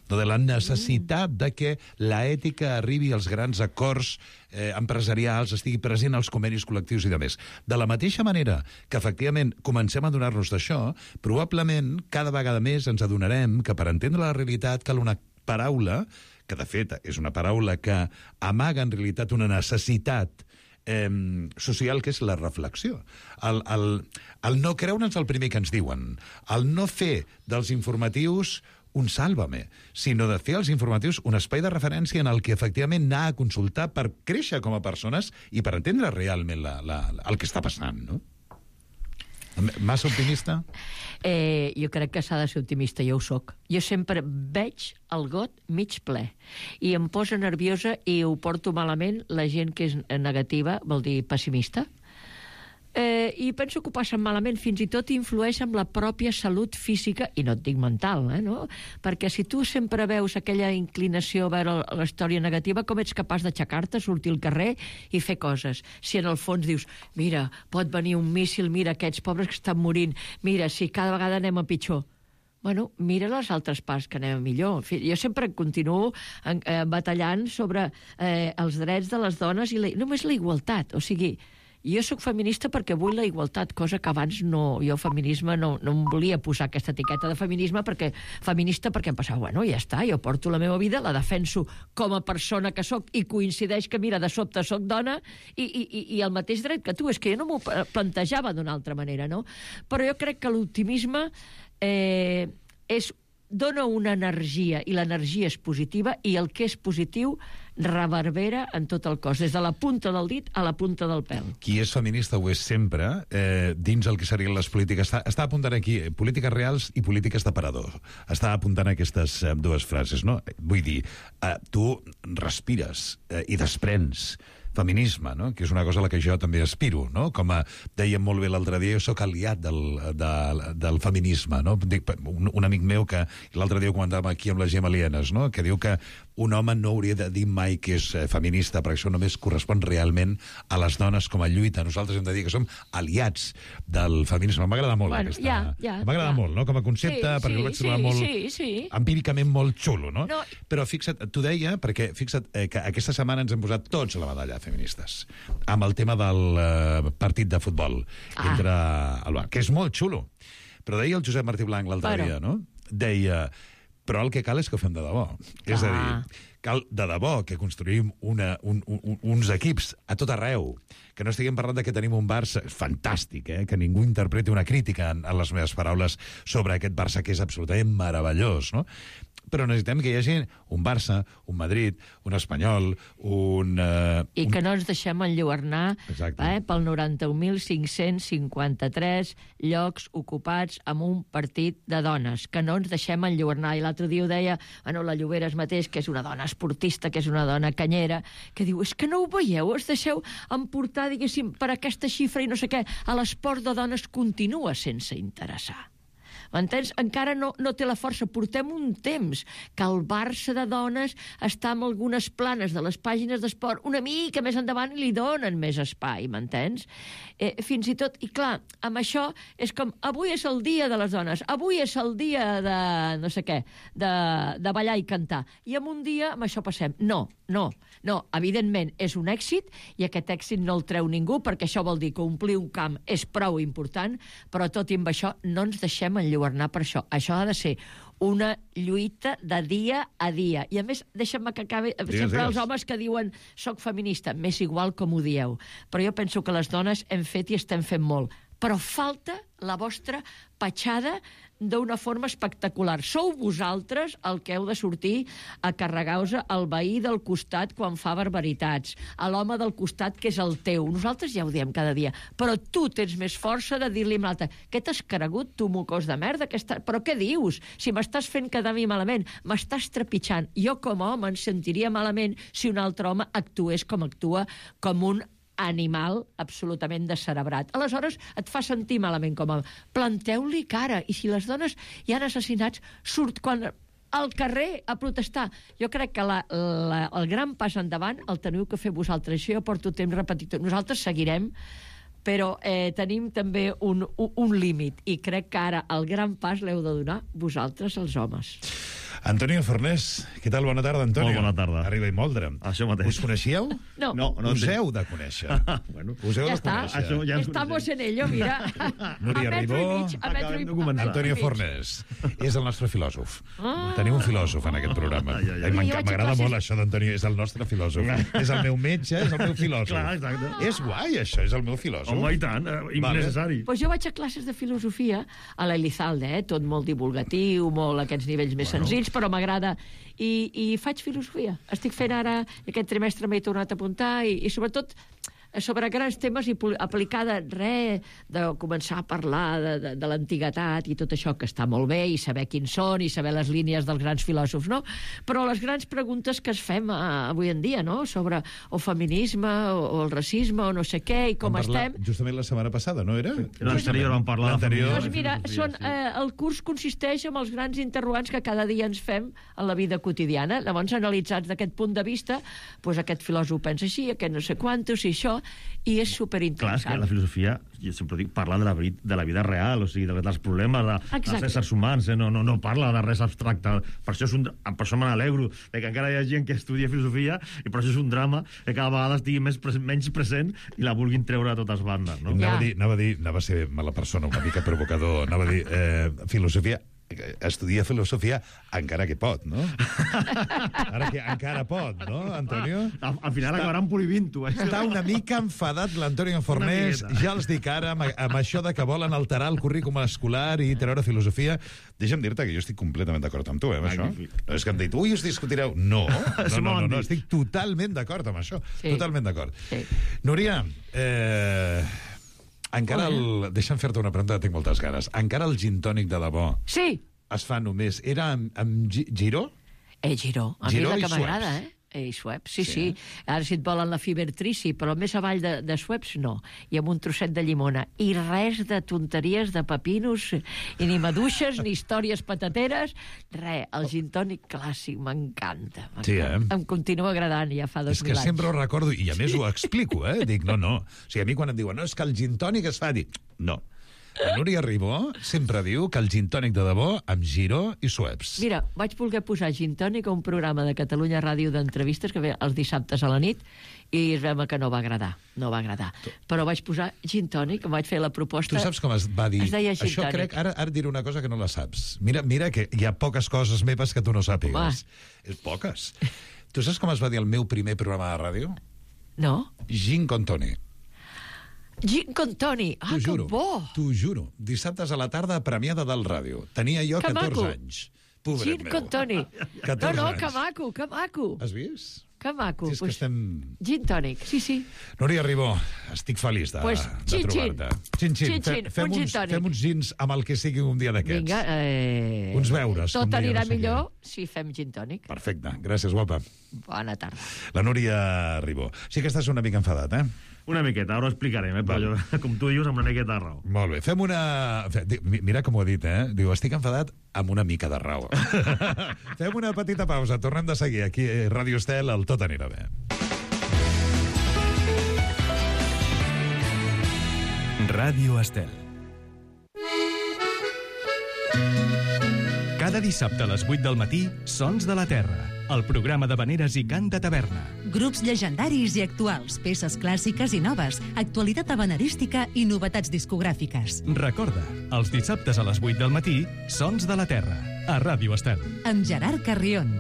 De la necessitat de que la ètica arribi als grans acords empresarials, estigui present als convenis col·lectius i demés. De la mateixa manera que, efectivament, comencem a donar-nos d'això, probablement, cada vegada més ens adonarem que per entendre la realitat cal una paraula, que de fet és una paraula que amaga en realitat una necessitat social, que és la reflexió. El no creure'ns el primer que ens diuen, el no fer dels informatius un sàlvame, sinó de fer als informatius un espai de referència en el que efectivament anar a consultar per créixer com a persones i per entendre realment el que està passant, no? Massa optimista? Jo crec que s'ha de ser optimista, jo ho soc. Jo sempre veig el got mig ple i em posa nerviosa i ho porto malament la gent que és negativa, vol dir pessimista. I penso que ho passen malament, fins i tot influeix en la pròpia salut física, i no et dic mental, no? Perquè si tu sempre veus aquella inclinació a veure la història negativa, com ets capaç d'aixecar-te, sortir al carrer i fer coses? Si en el fons dius, mira, pot venir un míssil, mira aquests pobres que estan morint, mira, si cada vegada anem a pitjor. bueno, mira les altres parts que anem millor. En fi, jo sempre continuo batallant sobre els drets de les dones i només la igualtat. O sigui, jo sóc feminista perquè vull la igualtat, cosa que abans no, jo feminisme no em volia posar aquesta etiqueta de feminisme feminista perquè em passava, bueno, ja està, jo porto la meva vida, la defenso com a persona que sóc i coincideix que, mira, de sobte sóc dona i el mateix dret que tu. És que jo no m'ho plantejava d'una altra manera, no? Però jo crec que l'optimisme dona una energia, i l'energia és positiva, i el que és positiu reverbera en tot el cos, des de la punta del dit a la punta del pèl. Qui és feminista ho és sempre, dins el que serien les polítiques. Està apuntant aquí polítiques reals i polítiques d'aparador. Està apuntant aquestes dues frases, no? Vull dir, tu respires i desprens feminisme, no? Que és una cosa a la que jo també aspiro, no? Com dèiem molt bé l'altre dia, jo sóc aliat del feminisme, no? Dic, un amic meu que l'altre dia ho comentàvem aquí amb les Gemalienes, no? Que diu que un home no hauria de dir mai que és feminista, perquè això només correspon realment a les dones com a lluita. Nosaltres hem de dir que som aliats del feminisme. M'agrada molt aquesta... M'agrada molt, no? Com a concepte, perquè ho vaig trobar molt empíricament molt xulo, no? Però fixa't, t'ho deia, perquè fixa't que aquesta setmana ens hem posat tots a la batalla feministes, amb el tema del partit de futbol entre el Barça, que és molt xulo. Però deia el Josep Martí Blanc l'altre dia, no? Deia, però el que cal és que ho fem de debò. És a dir, cal de debò que construïm uns equips a tot arreu, que no estiguem parlant de que tenim un Barça fantàstic, que ningú interpreti una crítica en les meves paraules sobre aquest Barça, que és absolutament meravellós, no? Però necessitem que hi hagi un Barça, un Madrid, un Espanyol, I que no ens deixem enlluernar pel 91.553 llocs ocupats amb un partit de dones, que no ens deixem enlluernar. I l'altre dia ho deia, la Lloberes mateix, que és una dona esportista, que és una dona canyera, que diu, és que no ho veieu, us deixeu emportar, diguéssim, per aquesta xifra i no sé què, a l'esport de dones continua sense interessar. M'entens? Encara no té la força. Portem un temps que el Barça de dones està en algunes planes de les pàgines d'esport una mica més endavant i li donen més espai, m'entens? Fins i tot, i clar, amb això és com, avui és el dia de les dones, avui és el dia de no sé què, de ballar i cantar. I en un dia amb això passem. No, evidentment és un èxit i aquest èxit no el treu ningú perquè això vol dir que omplir un camp és prou important, però tot i amb això no ens deixem enlluernar per això. Això ha de ser una lluita de dia a dia. I a més, deixa'm que acabi... Sempre els homes que diuen soc feminista, m'és igual com ho dieu. Però jo penso que les dones hem fet i estem fent molt. Però falta la vostra petjada d'una forma espectacular. Sou vosaltres el que heu de sortir a carregar-vos al veí del costat quan fa barbaritats, a l'home del costat que és el teu. Nosaltres ja ho diem cada dia, però tu tens més força de dir-li a l'altre, què t'has cregut, tu mocós de merda? Però què dius? Si m'estàs fent quedar a mi malament, m'estàs trepitjant. Jo com a home em sentiria malament si un altre home actués com actua, com un animal absolutament descerebrat. Aleshores et fa sentir malament com a... Planteu-li cara, i si les dones hi han assassinats, surt quan al carrer a protestar. Jo crec que el gran pas endavant el teniu que fer vosaltres. Això jo porto temps repetit. Nosaltres seguirem, però tenim també un límit, i crec que ara el gran pas l'heu de donar vosaltres, els homes. Antonio Fornés, què tal? Bona tarda, Antonio. Molt bona tarda. Arriba i moldre. Això mateix. Us coneixíeu? No. Us heu de conèixer. Bueno, us heu ja de conèixer. Això ja Estamos en ello, mira. Núria Ribó, Antonio Fornés. És el nostre filòsof. Tenim un filòsof en aquest programa. M'agrada molt això d'Antonio, és el nostre filòsof. És el meu metge, és el meu filòsof. Clar, exacte. És guai, això, és el meu filòsof. Home, i tant, innecessari. Pues jo vaig a classes de filosofia a l'Elizalde, tot molt divulgatiu, molt aquests nivells més senzills, però m'agrada. I faig filosofia. Estic fent ara, aquest trimestre m'he tornat a apuntar, i sobretot sobre grans temes i aplicada de començar a parlar de l'antiguitat i tot això, que està molt bé, i saber quins són, i saber les línies dels grans filòsofs, no? Però les grans preguntes que es fem avui en dia, no? Sobre o feminisme, o el racisme, o no sé què, i com estem... Justament la setmana passada, no era? L'anterior vam parlar de feminisme. Doncs mira, el curs consisteix en els grans interrogants que cada dia ens fem en la vida quotidiana. Llavors, analitzats d'aquest punt de vista, doncs aquest filòsof pensa així, aquest no sé quantos, i això, i és Clar, és superinteressant. que la filosofia, jo sempre dic, parla de la vida real, o sigui, dels problemes dels éssers humans, no parla de res abstracte. Per això me n'alegro, que encara hi ha gent que estudia filosofia i per això és un drama que cada vegada estigui menys present i la vulguin treure a totes bandes, no? Anava a ser mala persona, una mica provocador, anava a dir filosofia, estudia filosofia encara que pot, no? Ara que encara pot, no, Antonio? Al final acabaran prohibint-ho. Està una mica enfadat l'Antonio Fornés, ja els dic ara, amb això de que volen alterar el currículum escolar i treure filosofia. Deixa'm dir-te que jo estic completament d'acord amb tu, amb això. No és que em dit, us discutireu. No, estic totalment d'acord amb això. Totalment d'acord. Núria, encara deixa'm fer-te una pregunta, tinc moltes ganes. Encara el gin tònic de debò es fa només... Era amb Giró? Giró. A mi és la que m'agrada, i Schweppes, sí. Ara si et volen la Fibertrici, però més avall de Schweppes no. I amb un trosset de llimona. I res de tonteries de pepinos, i ni maduixes, ni històries patateres. Res, el gin tònic clàssic m'encanta. Sí, Em continua agradant ja fa 2000 anys. És que sempre ho recordo, i a més ho explico, Dic, no. O sigui, a mi quan em diuen, no, és que el gin tònic es fa, dic, no. La Núria Ribó sempre diu que el gin tònic de debò amb Giró i Schweppes. Mira, vaig voler posar gin tònic a un programa de Catalunya Ràdio d'entrevistes que ve els dissabtes a la nit i es veu que no va agradar. Però vaig posar gin tònic, em vaig fer la proposta. Tu saps com es va dir? Es deia gin això tònic. crec, ara diré una cosa que no la saps. Mira que hi ha poques coses meves que tu no sàpigues. És poques. Tu saps com es va dir el meu primer programa de ràdio? No. Gin con Toni. Gin con Toni. Ah, que bo! T'ho juro. Dissabtes a la tarda a Premiada del Ràdio. Tenia jo 14 anys. Pobret Gin con Toni. 14 No, anys. que maco. Has vist? Que maco. Si és que estem... Gin tònic, sí. Núria Ribó, estic feliç de trobar-te. Xin. Fem uns gins amb el que sigui un dia d'aquests. Vinga, uns beures. tot anirà millor si fem gin tònic. Perfecte. Gràcies, guapa. Bona tarda. La Núria Ribó. Sí que estàs una mica enfadat, Una miqueta, ara ho explicarem, però com tu dius, amb una miqueta de raó. Molt bé, fem una... Mira com ho ha dit, Diu, estic enfadat amb una mica de raó. Fem una petita pausa, tornem de seguir aquí a Ràdio Estel, el Tot anirà bé. Ràdio Estel. Cada dissabte a les 8 del matí, Sons de la Terra, el programa de veneres i cant de taverna. Grups llegendaris i actuals, peces clàssiques i noves, actualitat habanerística i novetats discogràfiques. Recorda, els dissabtes a les 8 del matí, Sons de la Terra, a Ràdio Estel. Amb Gerard Carrion.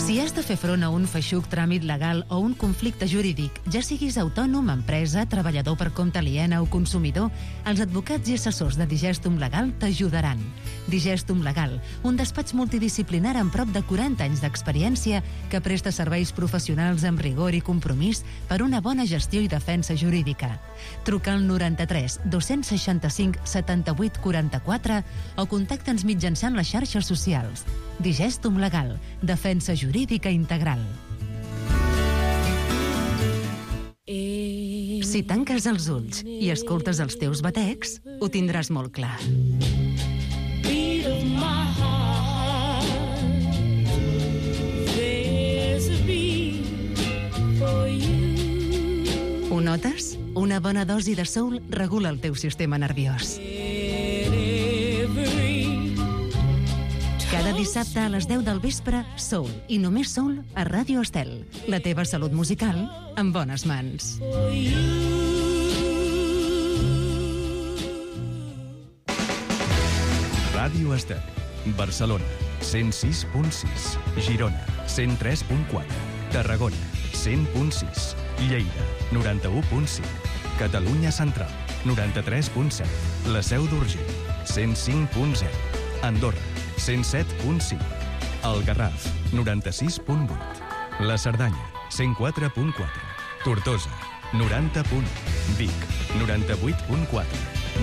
Si has de fer front a un feixuc tràmit legal o un conflicte jurídic, ja siguis autònom, empresa, treballador per compte aliena o consumidor, els advocats i assessors de Digestum Legal t'ajudaran. Digestum Legal, un despatx multidisciplinar amb prop de 40 anys d'experiència que presta serveis professionals amb rigor i compromís per una bona gestió i defensa jurídica. Truca al 93 265 78 44 o contacta'ns mitjançant les xarxes socials. Digestum Legal, defensa jurídica integral. Si tanques els ulls i escoltes els teus batecs, ho tindràs molt clar. Ho notes? Una bona dosi de soul regula el teu sistema nerviós. Cada dissabte a les 10 del vespre, Soul, i només Soul, a Ràdio Estel. La teva salut musical en bones mans. Ràdio Estel. Barcelona, 106.6. Girona, 103.4. Tarragona, 100.6. Lleida, 91.5. Catalunya Central, 93.7. La Seu d'Urgell, 105.0. Andorra, 107.5. El Garraf, 96.8. La Cerdanya, 104.4. Tortosa, 90.1. Vic, 98.4.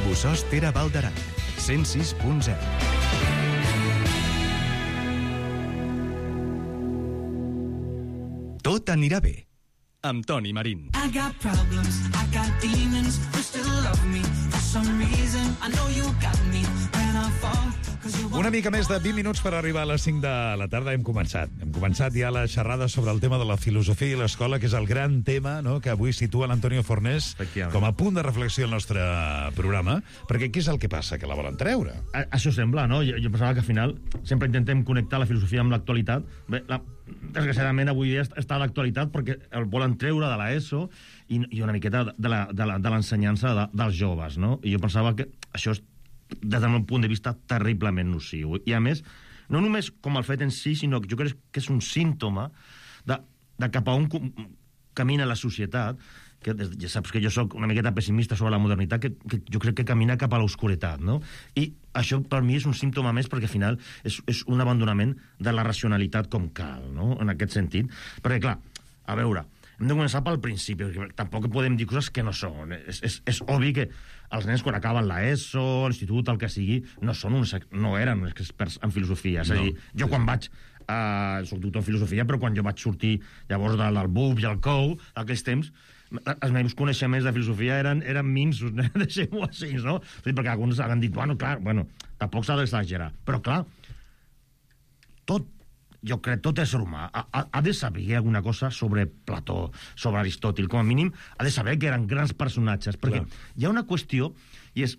Bossòst Tere Val d'Aran, 106.0. Tot anirà bé, amb Toni Marín. I got problems, I got demons, you still love me. For some reason, I know you got me when I fall, 'cause you Una mica més de 20 minuts per arribar a les 5 de la tarda. Hem començat ja la xerrada sobre el tema de la filosofia i l'escola, que és el gran tema, no?, que avui situa l'Antonio Fornés com a punt de reflexió al nostre programa, perquè què és el que passa? Que la volen treure. Això sembla, no? Jo pensava que al final sempre intentem connectar la filosofia amb l'actualitat. Bé, desgraciadament avui dia està a l'actualitat perquè el volen treure de l'ESO i una miqueta de l'ensenyança dels joves, no? I jo pensava que això és, des del meu punt de vista, terriblement nociu. I a més, no només com el fet en si, sinó que jo crec que és un símptoma de cap a on camina la societat, que ja saps que jo sóc una miqueta pessimista sobre la modernitat, que jo crec que camina cap a l'oscuritat, no? I això per mi és un símptoma més perquè al final és un abandonament de la racionalitat com cal, no?, en aquest sentit. Perquè, clar, a veure, hem de començar pel principi, perquè tampoc podem dir coses que no són. És obvi que els nens, quan acaben l'ESO, l'institut, el que sigui, no eren experts en filosofia. És a dir, jo quan vaig... soc doctor en filosofia, però quan jo vaig sortir llavors del BUP i el COU, aquells temps, els meus coneixements de filosofia eren minsos, deixem-ho així, no? Perquè alguns han dit, bueno, tampoc s'ha d'exagerar. Però, clar, jo crec tot ésser humà ha de saber alguna cosa sobre Plató, sobre Aristòtil, com a mínim ha de saber que eren grans personatges, perquè hi ha una qüestió, i és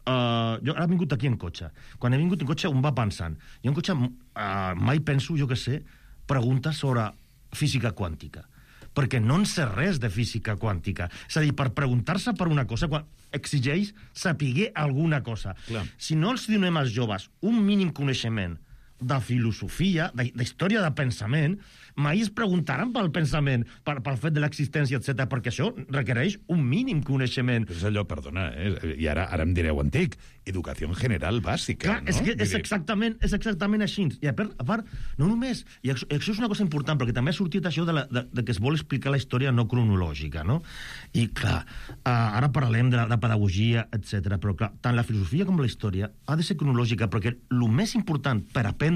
jo ara he vingut aquí en cotxe. Quan he vingut en cotxe un va pensant, jo en cotxe mai penso, jo que sé, preguntes sobre física quàntica, perquè no en sé res de física quàntica. És a dir, per preguntar-se per una cosa exigeix saber alguna cosa. Si no els donem als joves un mínim coneixement de filosofia, d'història de pensament, mai es preguntaran pel pensament, pel fet de l'existència, etc., perquè això requereix un mínim coneixement. Però és allò, perdona, i ara em direu antic, educació general bàsica, clar, no? És que és exactament així. I a part, no només, i això és una cosa important, perquè també ha sortit això de que es vol explicar la història no cronològica, no? I, clar, ara parlem de pedagogia, etc., però, clar, tant la filosofia com la història ha de ser cronològica, perquè el més important per aprendre,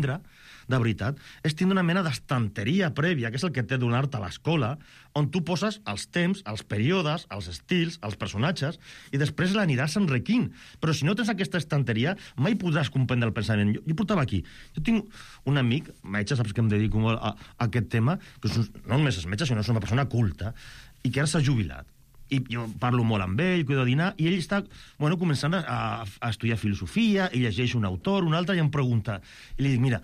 de veritat, és tindre una mena d'estanteria prèvia, que és el que té donar-te a l'escola, on tu poses els temps, els períodes, els estils, els personatges, i després l'aniràs enriquint. Però si no tens aquesta estanteria, mai podràs comprendre el pensament. Jo portava aquí. Jo tinc un amic, metge, saps que em dedico molt a aquest tema, que no només és metge, sinó és una persona culta, i que ara s'ha jubilat. I jo parlo molt amb ell, cuido de dinar, i ell està començant a estudiar filosofia, i llegeix un autor, un altre, i em pregunta. I li dic, mira,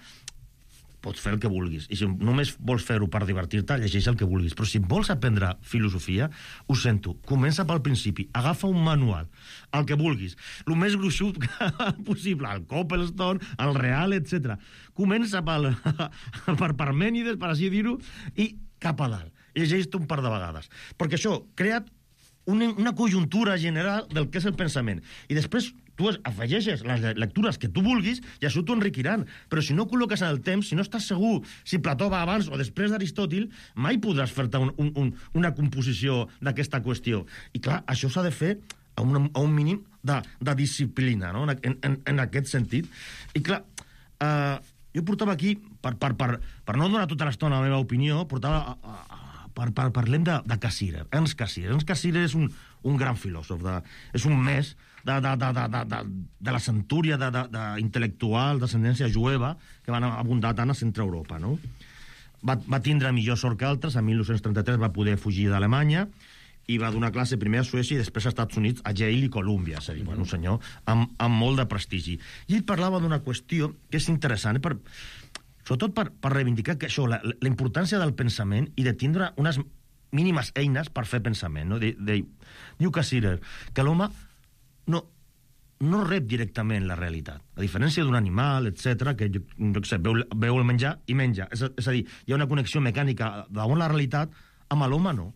pots fer el que vulguis. I si només vols fer-ho per divertir-te, llegeix el que vulguis. Però si vols aprendre filosofia, ho sento, comença pel principi. Agafa un manual, el que vulguis. El més gruixut possible, el Coppelstone, el Real, etc. Comença per Parmènides, per així dir-ho, i cap a dalt. Llegeix-te un par de vegades. Perquè això crea una conjuntura general del que és el pensament. I després tu afegeixes les lectures que tu vulguis i això t'ho enriquiran. Però si no col·loques en el temps, si no estàs segur si Plató va abans o després d'Aristòtil, mai podràs fer-te una composició d'aquesta qüestió. I clar, això s'ha de fer a un mínim de disciplina, no?, en aquest sentit. I clar, jo portava aquí, per no donar tota l'estona la meva opinió, parlem de Cassirer, Ernst Cassirer. Ernst Cassirer és un gran filòsof, és un mes de la centúria d'intel·lectual d'ascendència jueva que van abundar tant a Centre Europa, no? Va tindre millor sort que altres. En 1933 va poder fugir d'Alemanya i va donar classe primer a Suècia i després als Estats Units, a Yale i Columbia. És a dir, un senyor amb molt de prestigi. I ell parlava d'una qüestió que és interessant, sobretot per reivindicar que això, la importància del pensament i de tindre unes mínimes eines per fer pensament, no? Diu Cassirer que l'home no rep directament la realitat, a diferència d'un animal, etc., que veu el menjar i menja. És a dir, hi ha una connexió mecànica d'on la realitat, amb l'home no.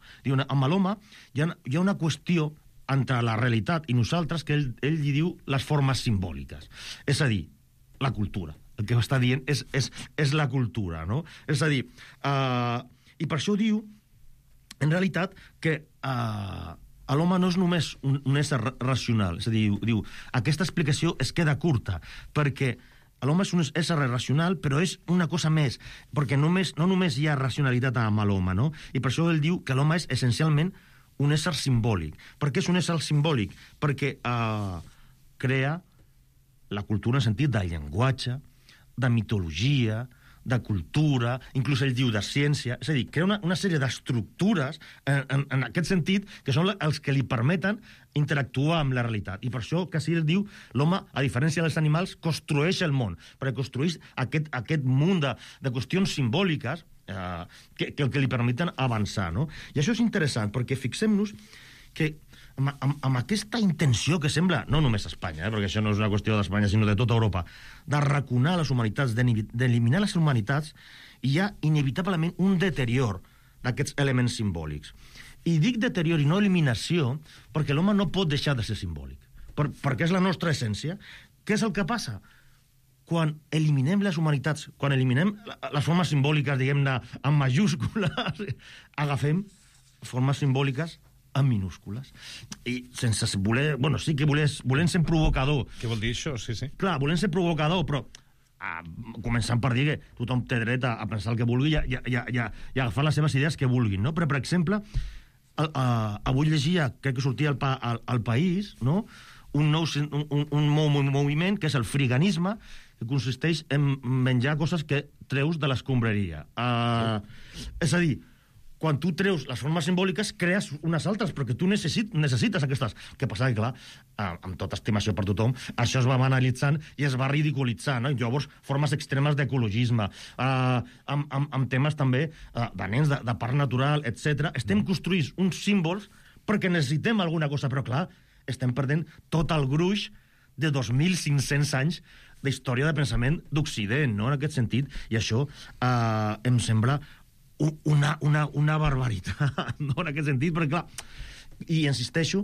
Amb l'home hi ha una qüestió entre la realitat i nosaltres que ell li diu les formes simbòliques. És a dir, la cultura. El que està dient és la cultura, no? És a dir, i per això diu, en realitat, que l'home no és només un ésser racional. És a dir, diu, aquesta explicació es queda curta, perquè l'home és un ésser racional, però és una cosa més, perquè no només hi ha racionalitat amb l'home, no? I per això ell diu que l'home és essencialment un ésser simbòlic. Per què és un ésser simbòlic? Perquè crea la cultura en sentit de llenguatge, de mitologia, de cultura, inclús ell diu de ciència, és a dir, crea una sèrie d'estructures en aquest sentit que són els que li permeten interactuar amb la realitat. I per això que ell diu l'home, a diferència dels animals, construeix el món, perquè construeix aquest munt de qüestions simbòliques que li permeten avançar, no? I això és interessant, perquè fixem-nos que amb aquesta intenció que sembla, no només a Espanya, perquè això no és una qüestió d'Espanya, sinó de tota Europa, d'arraconar les humanitats, d'eliminar les humanitats, hi ha inevitablement un deterior d'aquests elements simbòlics. I dic deterior i no eliminació perquè l'home no pot deixar de ser simbòlic, perquè és la nostra essència. Què és el que passa? Quan eliminem les humanitats, quan eliminem les formes simbòliques, diguem-ne, en majúscules, agafem formes simbòliques en minúscules. I sense voler... Bueno, sí que volent ser provocador. Què vol dir això? Sí. Clar, volent ser provocador, però començant per dir que tothom té dret a pensar el que vulgui i agafar les seves idees que vulguin, no? Però, per exemple, avui llegia, crec que sortia al País, no?, un moviment que és el friganisme, que consisteix en menjar coses que treus de l'escombraria. És a dir, quan tu treus les formes simbòliques, crees unes altres, perquè tu necessites aquestes. Què passa? Que, clar, amb tota estimació per tothom, això es va banalitzant i es va ridiculitzar, no? I llavors, formes extremes d'ecologisme, amb temes també de nens, de parc natural, etc. Estem construint uns símbols perquè necessitem alguna cosa, però, clar, estem perdent tot el gruix de 2.500 anys d'història de pensament d'Occident, no?, en aquest sentit, i això em sembla una barbaritat, no?, en aquest sentit, perquè, clar, i insisteixo,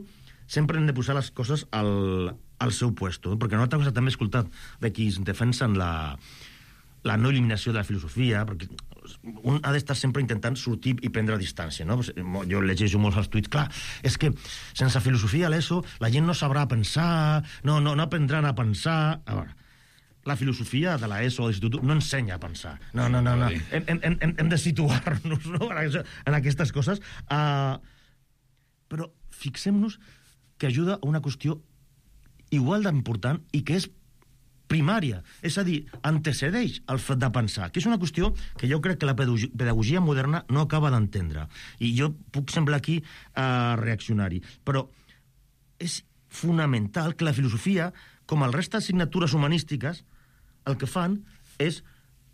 sempre hem de posar les coses al seu puesto, perquè una altra cosa també he escoltat de qui defensen la no eliminació de la filosofia, perquè un ha d'estar sempre intentant sortir i prendre distància, no? Jo llegeixo molts els tuits, clar, és que sense filosofia a l'ESO la gent no sabrà pensar, no aprendran a pensar. A veure, la filosofia de l'ESO o de l'institut no ensenya a pensar. No. Hem de situar-nos, no?, en aquestes coses. Però fixem-nos que ajuda a una qüestió igual d'important i que és primària, és a dir, antecedeix el fet de pensar, que és una qüestió que jo crec que la pedagogia moderna no acaba d'entendre. I jo puc semblar aquí reaccionari. Però és fonamental que la filosofia, com el resta d'assignatures humanístiques, el que fan és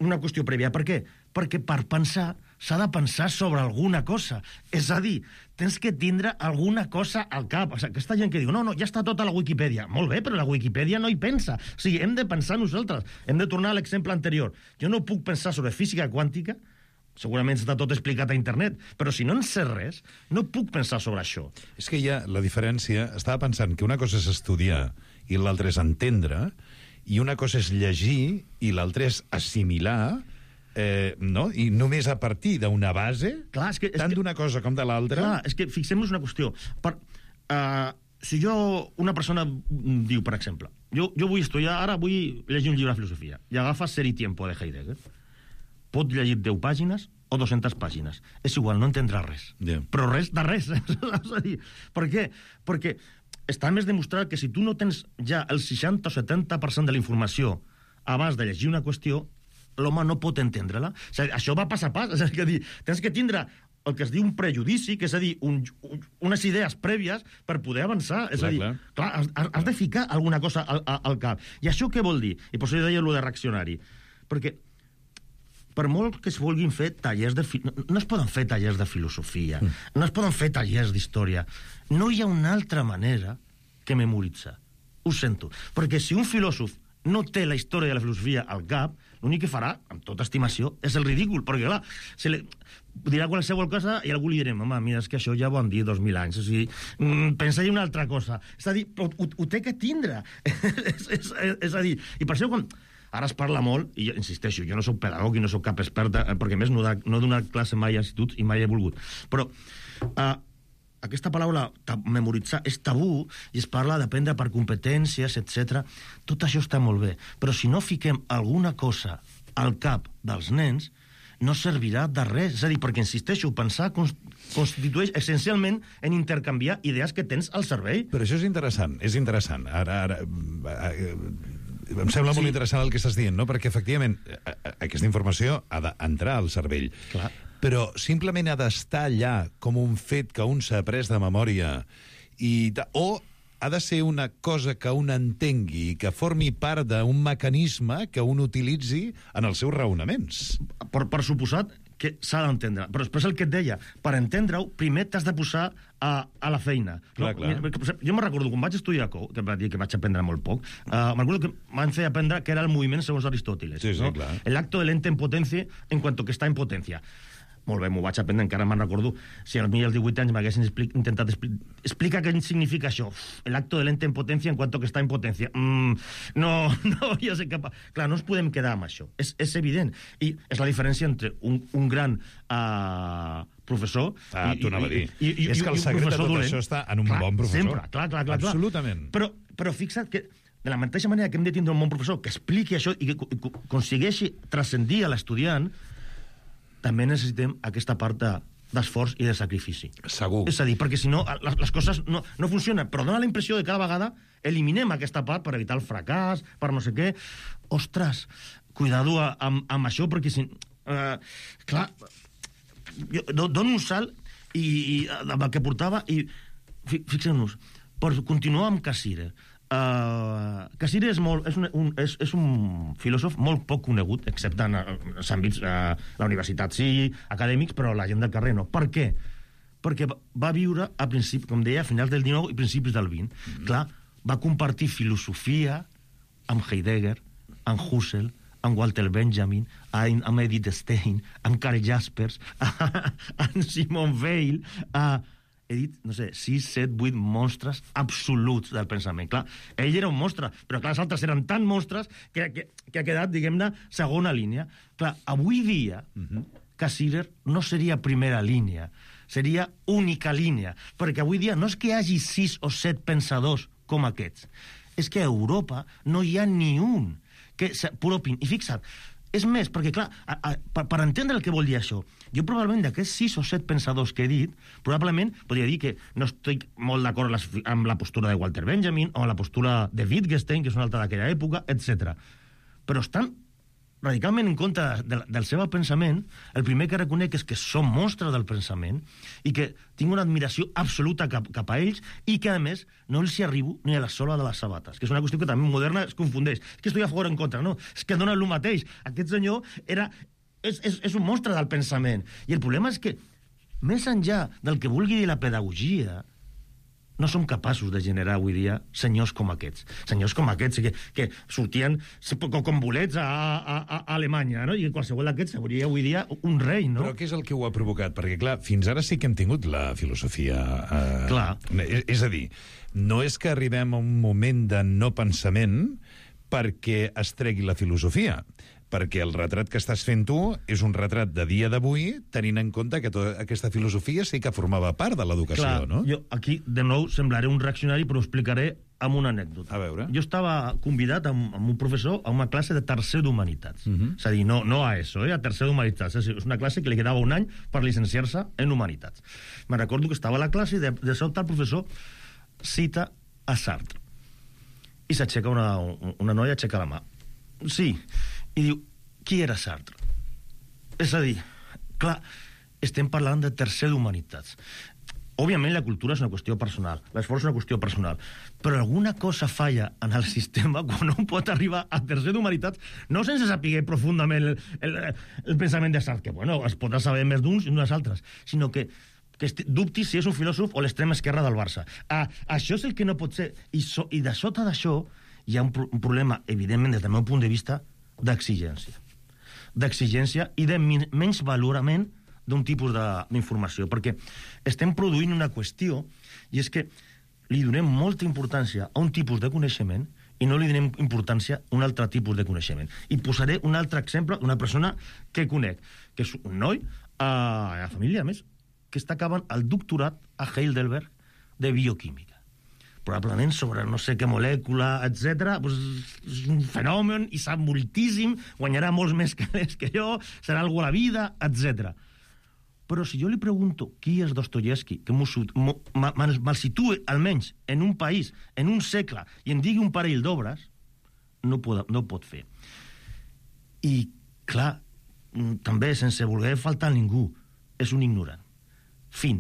una qüestió prèvia. Per què? Perquè per pensar s'ha de pensar sobre alguna cosa. És a dir, tens que tindre alguna cosa al cap. O sigui, aquesta gent que diu, no, ja està tota la Wikipedia. Molt bé, però la Wikipedia no hi pensa. O sigui, hem de pensar nosaltres. Hem de tornar a l'exemple anterior. Jo no puc pensar sobre física quàntica, segurament està tot explicat a internet, però si no en sé res, no puc pensar sobre això. És que hi ha la diferència... Estava pensant que una cosa és estudiar i l'altra és entendre, i una cosa és llegir i l'altra és assimilar, no? I només a partir d'una base, clar, tant d'una cosa com de l'altra... Clar, és que fixem-nos una qüestió. Si una persona diu, per exemple, jo vull estudiar, ara vull llegir un llibre de filosofia, i agafa Ser i Tiempo de Heidegger, pot llegir 10 pàgines o 200 pàgines. És igual, no entendrà res. Yeah. Però res de res. És a dir, per què? Perquè està més demostrat que si tu no tens ja el 60 o 70% de la informació abans de llegir una qüestió, l'home no pot entendre-la. O sigui, això va pas a pas. És a dir, tens que tindre el que es diu un prejudici, que és a dir, unes idees prèvies per poder avançar. És a dir, clar, has de ficar alguna cosa al cap. I això què vol dir? I per això jo deia allò de reaccionari. Perquè per molt que es vulguin fer tallers no es poden fer tallers de filosofia, no es poden fer tallers d'història. No hi ha una altra manera que memoritzar. Ho sento. Perquè si un filòsof no té la història de la filosofia al cap, l'únic que farà, amb tota estimació, és el ridícul. Perquè, clar, dirà qualsevol cosa i algú li direm, home, mira, és que això ja ho han dit 2.000 anys. O sigui, pensa-hi una altra cosa. És a dir, però ho té que tindre. És a dir, i per això quan... Ara es parla molt, i insisteixo, jo no soc pedagog i no soc cap experta, perquè més no he donat classe mai a instituts i mai he volgut. Però aquesta paraula memoritzar és tabú i es parla d'aprendre per competències, etc. Tot això està molt bé, però si no fiquem alguna cosa al cap dels nens, no servirà de res. És a dir, perquè, insisteixo, pensar constitueix essencialment en intercanviar idees que tens al cervell. Però això és interessant, és interessant. Ara Em sembla molt interessant el que estàs dient, no? Perquè, efectivament, aquesta informació ha d'entrar al cervell. Clar. Però simplement ha d'estar allà com un fet que un s'ha après de memòria o ha de ser una cosa que un entengui i que formi part d'un mecanisme que un utilitzi en els seus raonaments. Per suposat que s'ha d'entendre. Però després el que et deia, per entendre-ho, primer t'has de posar a la feina. Clar, clar. Jo me'n recordo, quan vaig estudiar COU, que va dir que vaig aprendre molt poc, me'n recordo que m'han fet aprendre que era el moviment segons Aristóteles. Sí, no? clar. El acto del ente en potencia en cuanto que està en potència. Molt bé, m'ho vaig aprendre, encara me'n recordo. Si als 18 anys m'haguessin intentat explicar què significa això. El acto del ente en potència en cuanto que està en potència. No, ja sé cap... Clar, no ens podem quedar amb això. És evident. I és la diferència entre un gran professor... t'ho anava a dir. És que el secret de tot això està en un bon professor. Sempre, clar. Absolutament. Però fixa't que de la mateixa manera que hem de tindre un bon professor que expliqui això i que aconsegueixi transcendir a l'estudiant, també necessitem aquesta part d'esforç i de sacrifici. Segur. És a dir, perquè si no, les coses no funcionen, però dona la impressió de que cada vegada eliminem aquesta part per evitar el fracàs, per no sé què. Ostres, cuidado amb això, perquè si... clar, jo dono un salt amb el que portava i fixem-nos, per continuar amb Cassirer. Cassirer és un filòsof molt poc conegut, excepte en els àmbits la universitat sí, acadèmics, però la gent del carrer no. Per què? Perquè va viure a principis, com deia, a finals del 19 i principis del 20. Clar, va compartir filosofia amb Heidegger, amb Husserl, amb Walter Benjamin, amb Edith Stein, amb Karl Jaspers, amb Simone Weil, he dit, no sé, 6, 7, 8 monstres absoluts del pensament. Clar, ell era un monstre, però clar, els altres eren tan monstres que ha quedat, diguem-ne, segona línia. Clar, avui dia, Cassirer no seria primera línia, seria única línia, perquè avui dia no és que hi hagi 6 o 7 pensadors com aquests, és que a Europa no hi ha ni un que s'apropin. I fixa't, és més, perquè, clar, per entendre el que vol dir això, jo probablement d'aquests 6 o 7 pensadors que he dit, probablement podria dir que no estic molt d'acord amb la postura de Walter Benjamin o amb la postura de Wittgenstein, que és una altra d'aquella època, etc. Però estan radicalment en contra del seu pensament. El primer que reconec és que són monstres del pensament i que tinc una admiració absoluta cap a ells i que, a més, no els hi arribo ni a la sola de les sabates, que és una qüestió que també moderna es confundeix. És que estic a favor o en contra, no. És que dona el mateix. Aquest senyor és un monstre del pensament. I el problema és que, més enllà del que vulgui dir la pedagogia, no som capaços de generar avui dia senyors com aquests. Senyors com aquests que sortien com bolets a Alemanya, no? I qualsevol d'aquests seria avui dia un rei, no? Però què és el que ho ha provocat? Perquè, clar, fins ara sí que hem tingut la filosofia... Clar. És a dir, no és que arribem a un moment de no pensament perquè es tregui la filosofia, perquè el retrat que estàs fent tu és un retrat de dia d'avui, tenint en compte que tota aquesta filosofia sí que formava part de l'educació, no? Jo aquí, de nou, semblaré un reaccionari, però ho explicaré amb una anècdota. A veure. Jo estava convidat amb un professor a una classe de tercer d'Humanitats. És a dir, no a ESO, a tercer d'Humanitats. És una classe que li quedava un any per llicenciar-se en Humanitats. Me recordo que estava a la classe i de sobte el professor cita a Sartre. I s'aixeca una noia, aixeca la mà. Sí. I diu, qui era Sartre? És a dir, clar, estem parlant de tercer d'Humanitats. Òbviament la cultura és una qüestió personal, l'esforç és una qüestió personal, però alguna cosa falla en el sistema quan un pot arribar a tercer d'Humanitats, no sense saber profundament el pensament de Sartre, que bueno, es podrà saber més d'uns i d'unes altres, sinó que dubti si és un filòsof o l'extrema esquerra del Barça. Això és el que no pot ser. I de sota d'això hi ha un problema, evidentment, des del meu punt de vista, d'exigència i de menys valorament d'un tipus d'informació, perquè estem produint una qüestió, i és que li donem molta importància a un tipus de coneixement i no li donem importància a un altre tipus de coneixement. I posaré un altre exemple d'una persona que conec, que és un noi, a la família, a més, que està acabant el doctorat a Heidelberg de bioquímica. Probablement sobre no sé què molècula, etc. És un fenomen i sap moltíssim, guanyarà molts més calés que jo, serà algú a la vida, etc. Però si jo li pregunto qui és Dostoyevsky, que me'l situe almenys en un país, en un segle, i em digui un parell d'obres, no pot fer. I, clar, també, sense voler faltar a ningú, és un ignorant. Fin.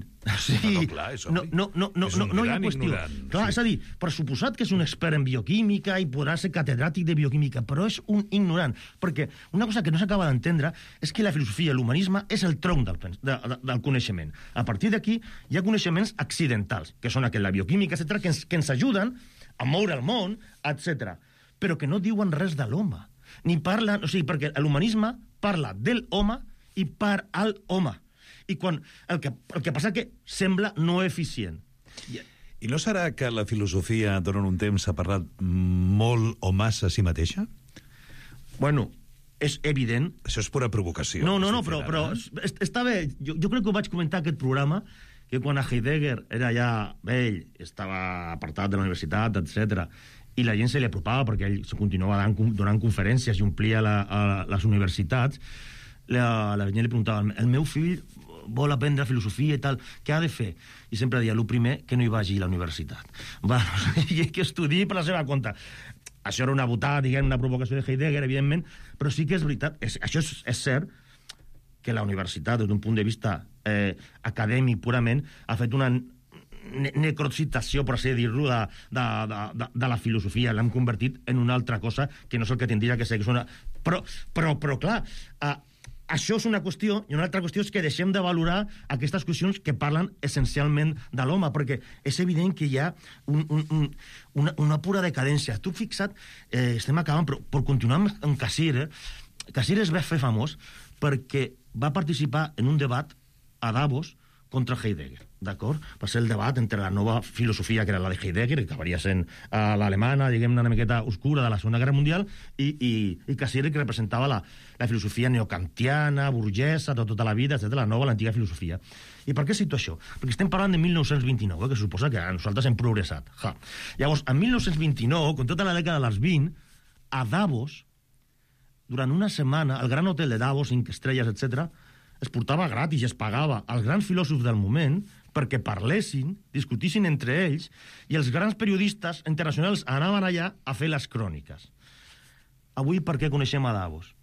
Clar, és obvi. No hi ha qüestió. Clar, és a dir, per suposat que és un expert en bioquímica i podrà ser catedràtic de bioquímica, però és un ignorant, perquè una cosa que no s'acaba d'entendre és que la filosofia i l'humanisme és el tronc del coneixement. A partir d'aquí hi ha coneixements accidentals, que són la bioquímica, etc., que ens ajuden a moure el món, etc., però que no diuen res de l'home. Ni parlen, o sigui, perquè l'humanisme parla del home i per al home. I quan el que passa que sembla no eficient. I no serà que la filosofia durant un temps s'ha parlat molt o massa a si mateixa? Bueno, és evident. Això és pura provocació. No, però està bé. Jo crec que ho vaig comentar aquest programa, que quan a Heidegger era ja vell, estava apartat de la universitat, etc., i la gent se li apropava perquè ell continuava donant conferències i omplia les universitats, la gent li preguntava, el meu fill vol aprendre filosofia i tal, què ha de fer? I sempre deia, el primer, que no hi vagi a la universitat. I que estudiï per la seva compte. Això era una botada, diguem, una provocació de Heidegger, evidentment, però sí que és veritat, això és cert, que la universitat, des d'un punt de vista acadèmic purament, ha fet una necrocitació, per així dir-ho, de la filosofia. L'hem convertit en una altra cosa que no és el que tindria que ser. Però clar, això és una qüestió, i una altra qüestió és que deixem de valorar aquestes qüestions que parlen essencialment de l'home, perquè és evident que hi ha una pura decadència. Tu fixa't, estem acabant, però per continuar amb Cassirer, Cassirer es va fer famós perquè va participar en un debat a Davos contra Heidegger, d'acord? Va ser el debat entre la nova filosofia, que era la de Heidegger, que acabaria sent l'alemana, diguem-ne, una miqueta oscura de la Segona Guerra Mundial, i Cassirer, que representava la filosofia neokantiana, burgesa, de tota la vida, etc., la nova, l'antiga filosofia. I per què cito això? Perquè estem parlant de 1929, que suposa que nosaltres hem progressat. Llavors, en 1929, com tota la dècada dels 20, a Davos, durant una setmana, al gran hotel de Davos, 5 estrelles, etc., es portava gratis i es pagava als grans filòsofs del moment perquè parlessin, discutissin entre ells, i els grans periodistes internacionals anaven allà a fer les cròniques. Avui per què coneixem a Davos?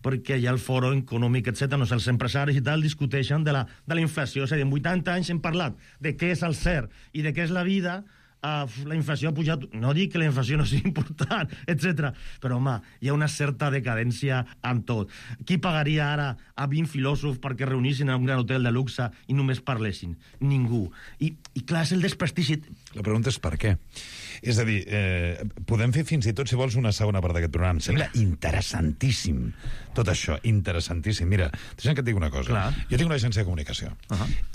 Perquè hi ha el foro econòmic, etc., no sé, els empresaris i tal discuteixen de la inflació. És a dir, en 80 anys hem parlat de què és el cert i de què és la vida. La inflació ha pujat, no dic que la inflació no sigui important, etc. Però, home, hi ha una certa decadència en tot. Qui pagaria ara a 20 filòsofs perquè reunissin en un gran hotel de luxe i només parlessin? Ningú. I clar, és el desprestigi. La pregunta és per què. És a dir, podem fer fins i tot, si vols, una segona part d'aquest programa. Em sembla interessantíssim tot això, interessantíssim. Mira, deixa'm que et digui una cosa. Clar. Jo tinc una agència de comunicació.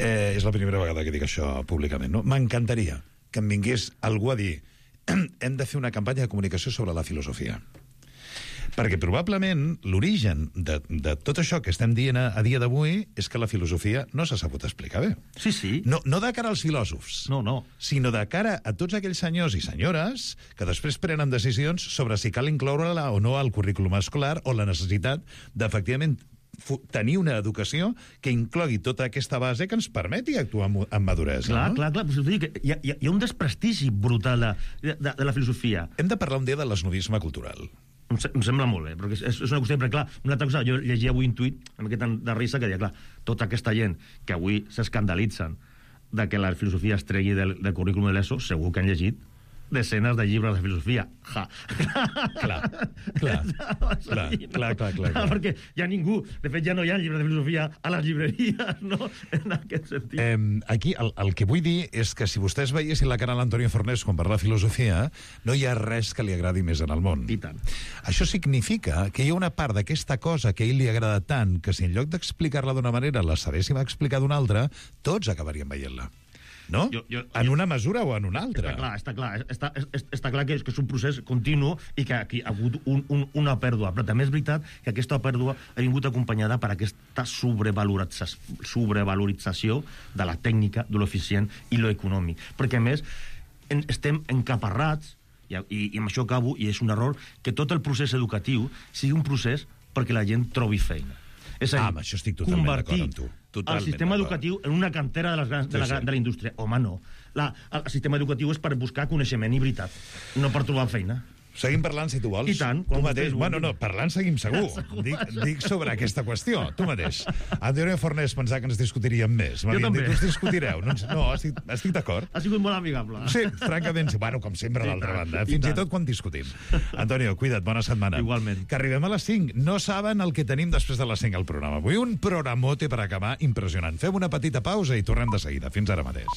És la primera vegada que dic això públicament. No? M'encantaria que em vingués algú a dir hem de fer una campanya de comunicació sobre la filosofia. Perquè probablement l'origen de tot això que estem dient a dia d'avui és que la filosofia no s'ha sabut explicar bé. Sí. No de cara als filòsofs, no. Sinó de cara a tots aquells senyors i senyores que després prenen decisions sobre si cal incloure-la o no al currículum escolar o la necessitat d'efectivament tenir una educació que inclogui tota aquesta base que ens permeti actuar amb maduresa. Clar. Hi ha un desprestigi brutal de la filosofia. Hem de parlar un dia de l'esnovisme cultural. Em sembla molt bé, perquè és una qüestió, perquè clar, una altra cosa, jo llegia avui un tuit, una miqueta de risa, que deia, clar, tota aquesta gent que avui s'escandalitzen de que la filosofia es tregui del currículum de l'ESO, segur que han llegit desenes de llibres de filosofia. Clar. Perquè ja ningú, de fet ja no hi ha llibres de filosofia a les llibreries, no? En aquest sentit. Aquí el que vull dir és que si vostès veiessin la cara a l'Antonio Fornés quan parla de filosofia, no hi ha res que li agradi més en el món. I tant. Això significa que hi ha una part d'aquesta cosa que a ell li agrada tant que si en lloc d'explicar-la d'una manera la sabéssim explicar d'una altra, tots acabaríem veient-la. No? En una mesura o en una altra. Està clar que és un procés continu i que aquí ha hagut una pèrdua, però també és veritat que aquesta pèrdua ha vingut acompanyada per aquesta sobrevalorització de la tècnica, de l'eficient i l'econòmic. Perquè, a més, estem encaparrats, i amb això acabo, i és un error, que tot el procés educatiu sigui un procés perquè la gent trobi feina. És a dir, amb això estic totalment d'acord amb tu. El sistema educatiu en una cantera de la indústria. Home, no. El sistema educatiu és per buscar coneixement i veritat, no per trobar feina. Seguim parlant, si tu vols. I tant, Tu quan mateix. vostès Bueno, no, vulguin. parlant seguim segur. Dic sobre aquesta qüestió. Tu mateix. Antonio Fornés pensava que ens discutiríem més. M'havien també. dit, us discutireu. No, estic d'acord. Ha sigut molt amigable. Sí, francament, sí. Bueno, com sempre, I d'altra tant, banda. i Fins i tant. tot quan discutim. Antonio, cuida't, bona setmana. Igualment. Que arribem a les 5. No saben el que tenim després de les 5 al programa. Avui un programote per acabar impressionant. Fem una petita pausa i tornem de seguida. Fins ara mateix.